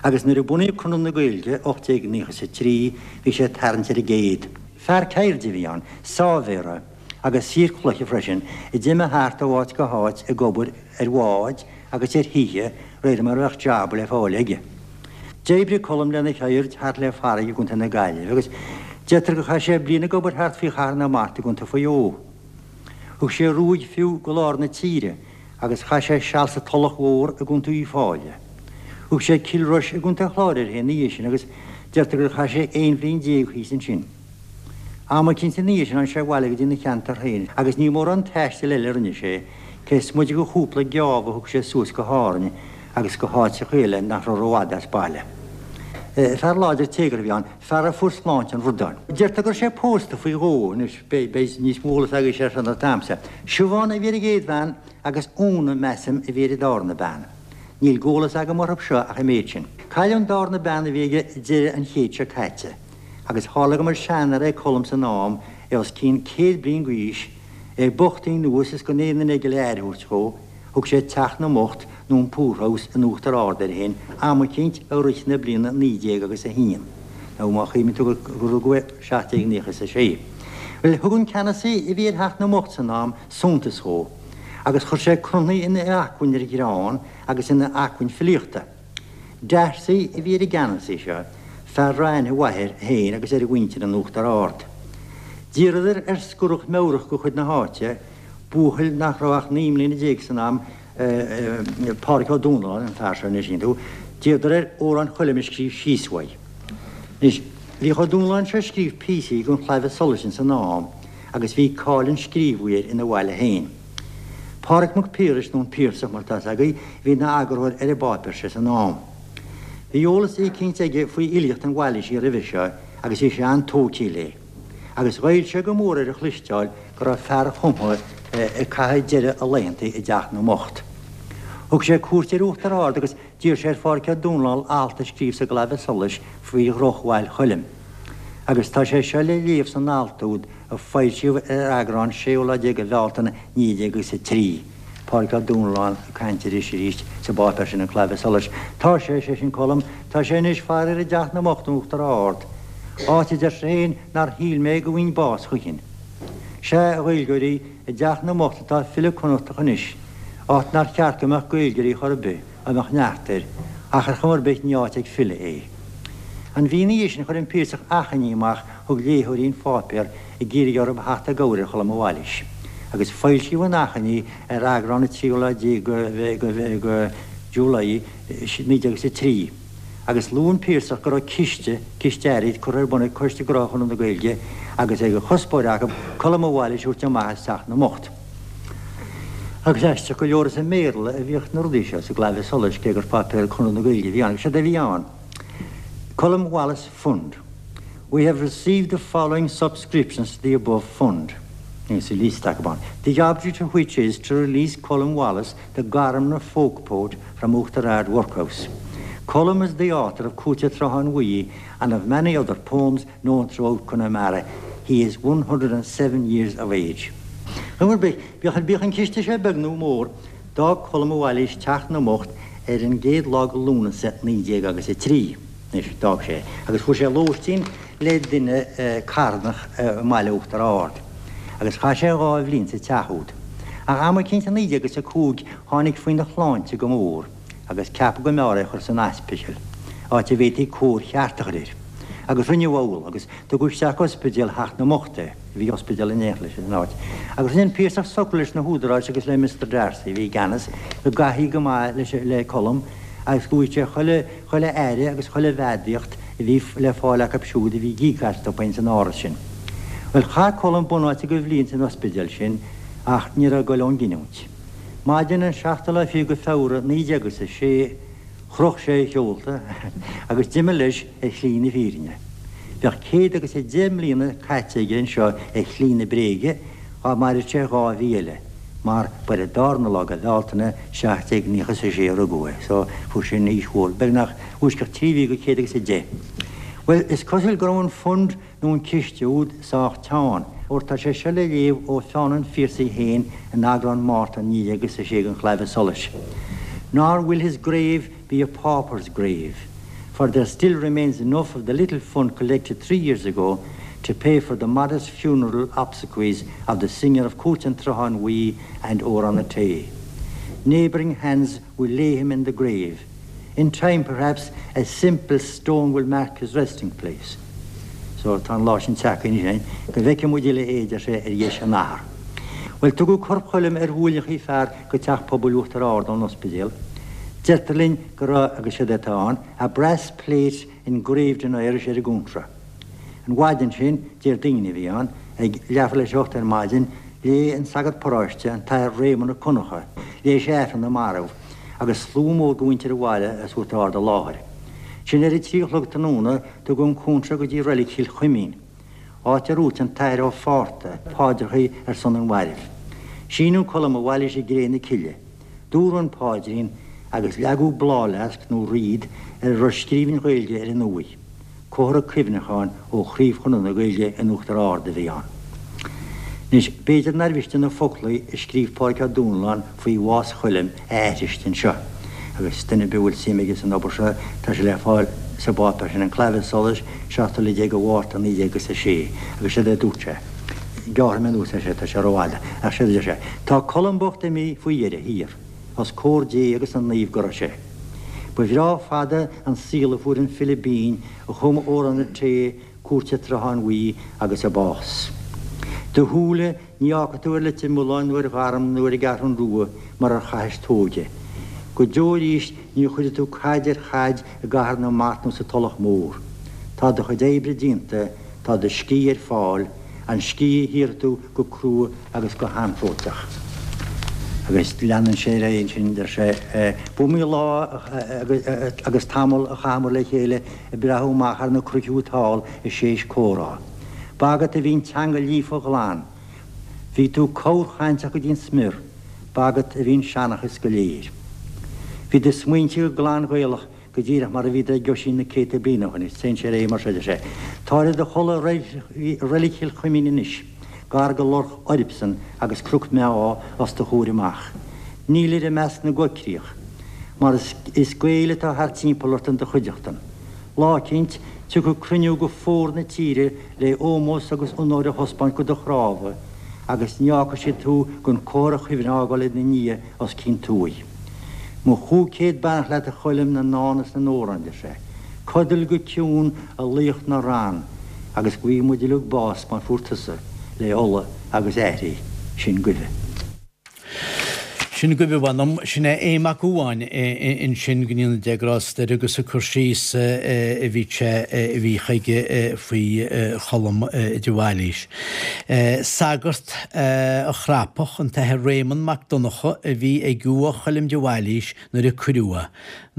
Speaker 4: agus nuair a bunaíodh Conradh na Gaeilge, 1893, bhí sé ag tarraingt ar an gcéad. Fear ceirde a bhí ann, sáibhéara agus saor cloiche freisin, a d'imigh thart ó áit go háit ag obair ar bháid agus ar thithe réir mar a bheadh jab le fáil aige. D'oibrigh Colm lena cheird thart le farraige i gContae na Gaillimhe agus deirtear gur chaith sé bliain ag obair thart faoi Chathair na Mart i gContae Mhaigh Eo. Thug sé ruaig fiú go lár na tíre agus chaith sé seal sa Tulach Mhór i gContae Uíbh Fhailí. Thug sé Cill Rois i gContae an Chláir air féin ina dhiaidh sin agus deirtear gur chaith sé 11 bhliain thíos ansin. Am eicínt ina dhiaidh sin tháinig sé abhaile go dtína cheantar féin agus ní mórán taistil eile a rinne sé, cé is moite de chúpla geábh a thug sé suas go hÁrainn agus go háiteacha eile nach raibh rófhada as baile. Fear láidir téagartha a bhí ann, fear a fuair sláinte an bhradáin. Deirtear go raibh sé pósta faoi dhó anois, beidh níos mó eolas agaibhse air seo ná agamsa. Siobhán a bhí ar an gcéad bhean agus Úna, measaim, a bhí ar an darna bean. Níl d'eolas agam orthu seo ach an méid sin. Cailleadh an dárna bean a bhí aige ag deireadh an chéid seo caite, agus tharla go mba seanfhear é Colm san am, é os cionn 100 bliain d'aois, é bochtaithe anuas is gan aon duine aige le aire a thabhairt dhó, thug sé Teach na mBocht nó an Poorhouse in Uachtar Ard air féin am eicínt i rith na bliana 19 agus a haon, nó má chuimhníonn tú gur rugadh é 1796. Bhuel, thug an ceannasaí a bhí ar Theach na mBocht san am suntas dhó, agus chuir sé cronaí ina acmhainn ar ghreann agus ina acmhainn filíochta. D'Arcy a bhí ar an gceannasaí seo, fear a raibh aithne mhaith air féin agus ar a mhuintir in Uachtar Ard. D'iarradar ar scorach meabhrach de chuid na háite, buachaill nach raibh ach 19 mbliana san am, Pádhraic Ó Dúnalláin an fear seo anois, tú, d'iarradar air Amhrán Choilm a scríobh síos uaidh. Anois, bhíodh Ó Dúnalláin seo ag scríobh píosaí don Chlaidheamh Soluis ins an am agus bhí cáil an scríobhaí air ina bhaile féin. Pádraig Mac Piarais, nó an Piarsach mar atá 'fhios agaibh, a bhí ina eagarthóir ar an bpáipéar seo san am. Bhí eolas eicínt aige faoi fhilíocht an Bhailísigh roimhe seo agus bhí sé an-tógtha léi. Agus ghoill sé go mór air a chloisteáil go raibh fear a chumtha ag caitheamh deireadh a laethanta i dTeach na mBocht. Thug sé cuairt ar Uachtar Ard agus d'iarr sé ar Phádraic Ó Dúnalláin alt a scríobh sa gClaidheamh Soluis faoi dhrochbhail Choilm. Agus tá sé seo le léamh san alt úd a foilsíodh ar eagrán séú lá déag de Bhealtaine 1903. Pádraic Ó Dúnalláin ag caint aris arís sa bpáipéar sin An Claidheamh Soluis. Tá sé, sé sin Colm, tá sé anois faraor i dTeach na mBocht in Uachtar Ard. Áit a deir sé féin nár shíl mé go bhfaighinn bás choíchin. Sea, a Ghaeilgeoirí, i dTeach na mBocht atá file Connachtach anois, áit nár cheart go mbeadh Gaeilgeoirí chor ar bith, dá mbeadh neart air, ach ar chuma ar bith ní áit ag file é. An mhí ina dhiaidh sin chuir an Piarsach achainí amach chuig léitheoirí an pháipéir ag iarraidh orthu theacht i gcabhair ar Cholm Ó Bhailís, agus foilsíodh an achainí ar eagrán an tríú lá déag de July 1903, agus luaigh an Piarsach go raibh ciste, ciste airgid, curtha ar bun ag Coiste Gnóthaí Chonradh na Gaeilge agus é de chuspóir acu Colm Ó Bhailís a thabhairt amach as Teach na mBocht. Agus aisteach go leor is i mBéarla a bhíodh na rudaí seo sa gClaidheamh Soluis cé gur páipéar Chonradh na Gaeilge a bhí ann agus séard a bhí ann, Colm Wallace Fund. We have received the following subscriptions to the above fund. Agus liosta acu ann. The object of which is to release Colm Wallace, the Garmna folk poet from Uachtar Ard Workhouse. Colm is the author of Cúirt an tSrutháin Bhuí and of many other poems known throughout Connemara. He is 107 years of age. Ar chuma ar bith, bíodh an ciste seo beag nó mór, d'fhág Colm Ó Bhailís Teach na mBocht ar an gcéad lá de Lúnasa 19 agus 3. Anois, d'fhág sé, agus fuair sé lóistín le duine carthanach i mbaile Uachtar Ard, agus chaith sé dhá bhliain sa teach úd. Ach am eicínt i 19 agus 5 tháinig faoina shláinte go mór, agus ceapadh go mb'fhearr é a chur san ospidéal, áit a bhféadfaí cóir cheart a chur air. Agus rinneadh amhlaidh, agus tugadh isteach go ospidéal Theach na mBocht é, bhí ospidéal in éineacht leis san áit. Agus rinne an Piarsach socrú leis na húdaráis agus le Mister D'Arcy, a bhí i gceannas, go gcaithfí go maith leis, le Colm, agus go bhfaigheadh sé chuile, chuile aire agus chuile bheadaíocht a bhí le fáil acu siúd a bhí ag íoc astu féin san áras sin. Bhuel, chaith Colm bunáite de bhliain san ospidéal sin, ach ní raibh ag goil ón gcinniúint. Maidin an seachtú lá fichead de Feabhra 1906, chroch sé a sheolta agus d'imigh leis ar shlí na fírinne. Bheadh céad agus a deich mbliana caite aige anseo ar shlí na bréige dhá maireadh sé dhá mhí eile, mar ba ar an darna lá de Bhealtaine 1796 a rugadh é, so fuair sé an aois mhór, beagnach uaisceacht trí mhí go céad agus a deich. Bhuel, is cosúil go raibh an fund nó an ciste úd sách teann, óir tá sé seo le léamh ó pheann an Phiarsaigh féin in eagrán Márta 1906 den Chlaidheamh Soluis, Nor will his grave be a pauper's grave, for there still remains enough of the little fund collected three years ago to pay for the modest funeral obsequies of the singer of Cúirt an tSrutháin Bhuí and Amhrán an Tae. Neighbouring hands will lay him in the grave. In time, perhaps, a simple stone will mark his resting place. So, tá an lá sin tagtha anois, go bhfeicfidh muid uile é, deir sé, ar dheis an Athar. Bhuel, tugadh corp Choilm ar ghuailleachaí fear go Teach Pobail Uachtar Ard ón ospidéal. Deirtear linn go raibh, agus séard atá ann, a brass plate engraved in Irish ar an gcóntra. An mhaidin sin, Déardaoin a bhí ann, ag leathuair leis a hocht ar maidin, léigh an sagart paróiste, an tAthair Réamonn Ó Conchadha, léigh sé Aifreann na Marbh, agus slua mór de mhuintir an bhaile as Uachtar Ard i láthair. Ansin ar a trí a chlog tráthnóna, tugadh an cóntra go dtí reilig Chill Chuimín, áit ar dhúirt an tAthair Ó Fátharta paidreacha ar son an mhairbh. Síneadh Colm Ó Bhailís i gcré na cille. Dúradh an paidrín. Agus leagadh bláthfhleasc nó wreath ar a raibh scríbhinn Ghaeilge ar an uaigh. Comhartha cuimhneacháin ó Chraobh Chonradh na Gaeilge in Uachtar Ard a bhí ann. Anois, b'fhéidir nár mhiste na foclaí a scríobh Pádraig Ó Dúnláin faoi bhás Choilm a aithrist anseo, agus duine ar bith a bhfuil suim aige san obair seo, tá sé le fáil sa bpáipéar sin, An Claidheamh Soluis, 17 lá de Mhárta 19 agus 6, agus séard a dúirt sé. Gearrfaidh mé anuas é seo, tá sé rófhada, ach séard a deir sé, Tá Colm bocht imithe faoi dheireadh thiar. Os comhair Dé agus na naomh go raibh sé. Ba bhreá fada an saol a fuair an file binn a chum Amhrán Rté, Cúirt an tSrutháin Bhuí agus a Bás. Do shúile ní fhágfaidh tú ar Leitir Mealláin nó ar Gharmna nó ar an gCeathrún Rua mar ar chaithis t'óige. Go deo arís ní chuirfidh tú caid ar chaid i gCathair na Mart nó sa Tulach Mhór. Tá do chuid oibre déanta, tá do scíth ar fáil, an scíth a shaothraigh tú go crua agus go hanchróiteach. Agus leanann sé ar aghaidh ansin, deir sé, B'iomaí lá agus tamall a chaitheamar le chéile ag breathú amach thar na cnoic úd thall is séis comhrá. Ba agat a bhí an teanga líofa ghlan. Bhí tú corrchainteach go dtí an smior. Ba agat a bhí an seanchas go léir. Bhí do smaointe go glan Gaelach go díreach mar a bhíodar ag Oisín na céadta bliain ó shin, agus téann sé ar aghaidh mar seo, deir sé, Táir i do chodladh i reilig Chill Chuimín anois, gar go Lorch Oirbsean agus Cnoc Meá os do chomhair amach. Nílir i measc na gcoigcríoch, mar is Gaeil atá thart timpeall ort in do chuideachtain. Lá eicínt, tiocfaidh cruinniú go fómhar na tíre le ómós agus onóir a thaispeáint go do chnámha, agus ní fhágfaidh siad tú gan comhartha cuimhne a fhágáil ina ndiaidh os cionn t'uaigh. Mo chúig chéad beannacht leat a Choilm na ndán is na n-amhrán, deir sé. Codail go ciúin a laoch na rann agus go bhfaighidh muid uilig bás mar fuair tusa, le ola agus aithrí. Sin agaibh.
Speaker 2: Sin agaibh a mh'anam. Sin é Aodh Mac Uáin ansin, go ndéana Dia grásta air agus ag cur síos a bhí sé a bhí chuige faoi Cholm de Bhailís. Sagart a Chrapach, an tAthair Réamonn Mac Donncha a bhí ag uaigh Choilm de Bhailís nuair a cuireadh é.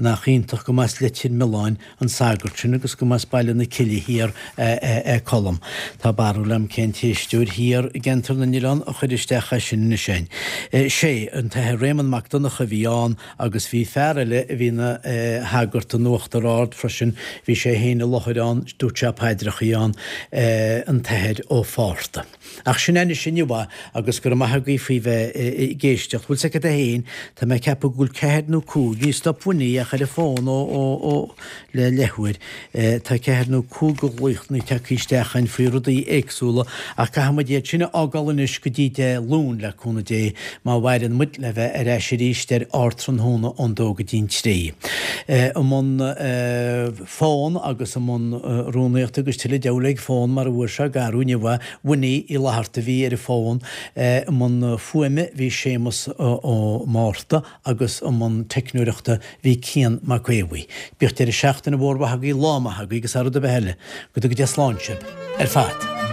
Speaker 2: Nach iontach go mb'as Leitir Mealláin an sagart sin agus go mb'as Baile na Cille Thiar é Colm. Tá barúil agam cén t-éisteoir thiar i gCeantar na nOileán a chuir isteach é sin anois againn. Sé, an tAthair Réamonn Mac Donncha a bhí ann Agus bhí fear eile a bhí ina shagart in Uachtar Ard freisin, bhí sé féin i láthair ann, dúirt sé paidreachaí ann, an tAthair Ó Fátharta. Ach sin é anois inniu é agus go raibh maith agaibh faoi bheith ag éisteacht. Bhfuil 's agat é féin, tá mé ag ceapadh go bhfuil ceathair nó cúig, ní stop Winnie ach ar an bhfón ó, ó, ó, le leathuair. Tá ceathair nó cúig de ghlaochanna tagtha isteach againn faoi rudaí éagsúla ach caithfidh muid iad sin a fhágáil anois go dtí Dé Luain, le cúnamh Dé, má mhaireann muid le bheith ar ais arís ar Ardtráthnóna ón dó go dtí'n trí. I mbun fón agus i mbun rúnaíochta agus tuilleadh deabhail ag fón mar a bhfuair sé garú inniu é, Winnie Uí Fhlatharta a bhí ar an bhfón. I mbun fuaime bhí Séamus Ó Márta agus i mbun teicneoireachta bhí Cian Mac Aodha. Bíodh deireadh seachtaine mhór mhaith agaibh, lá maith agaibh agus thar rud ar bith eile, go dtuga Dia slán sibh ar fad.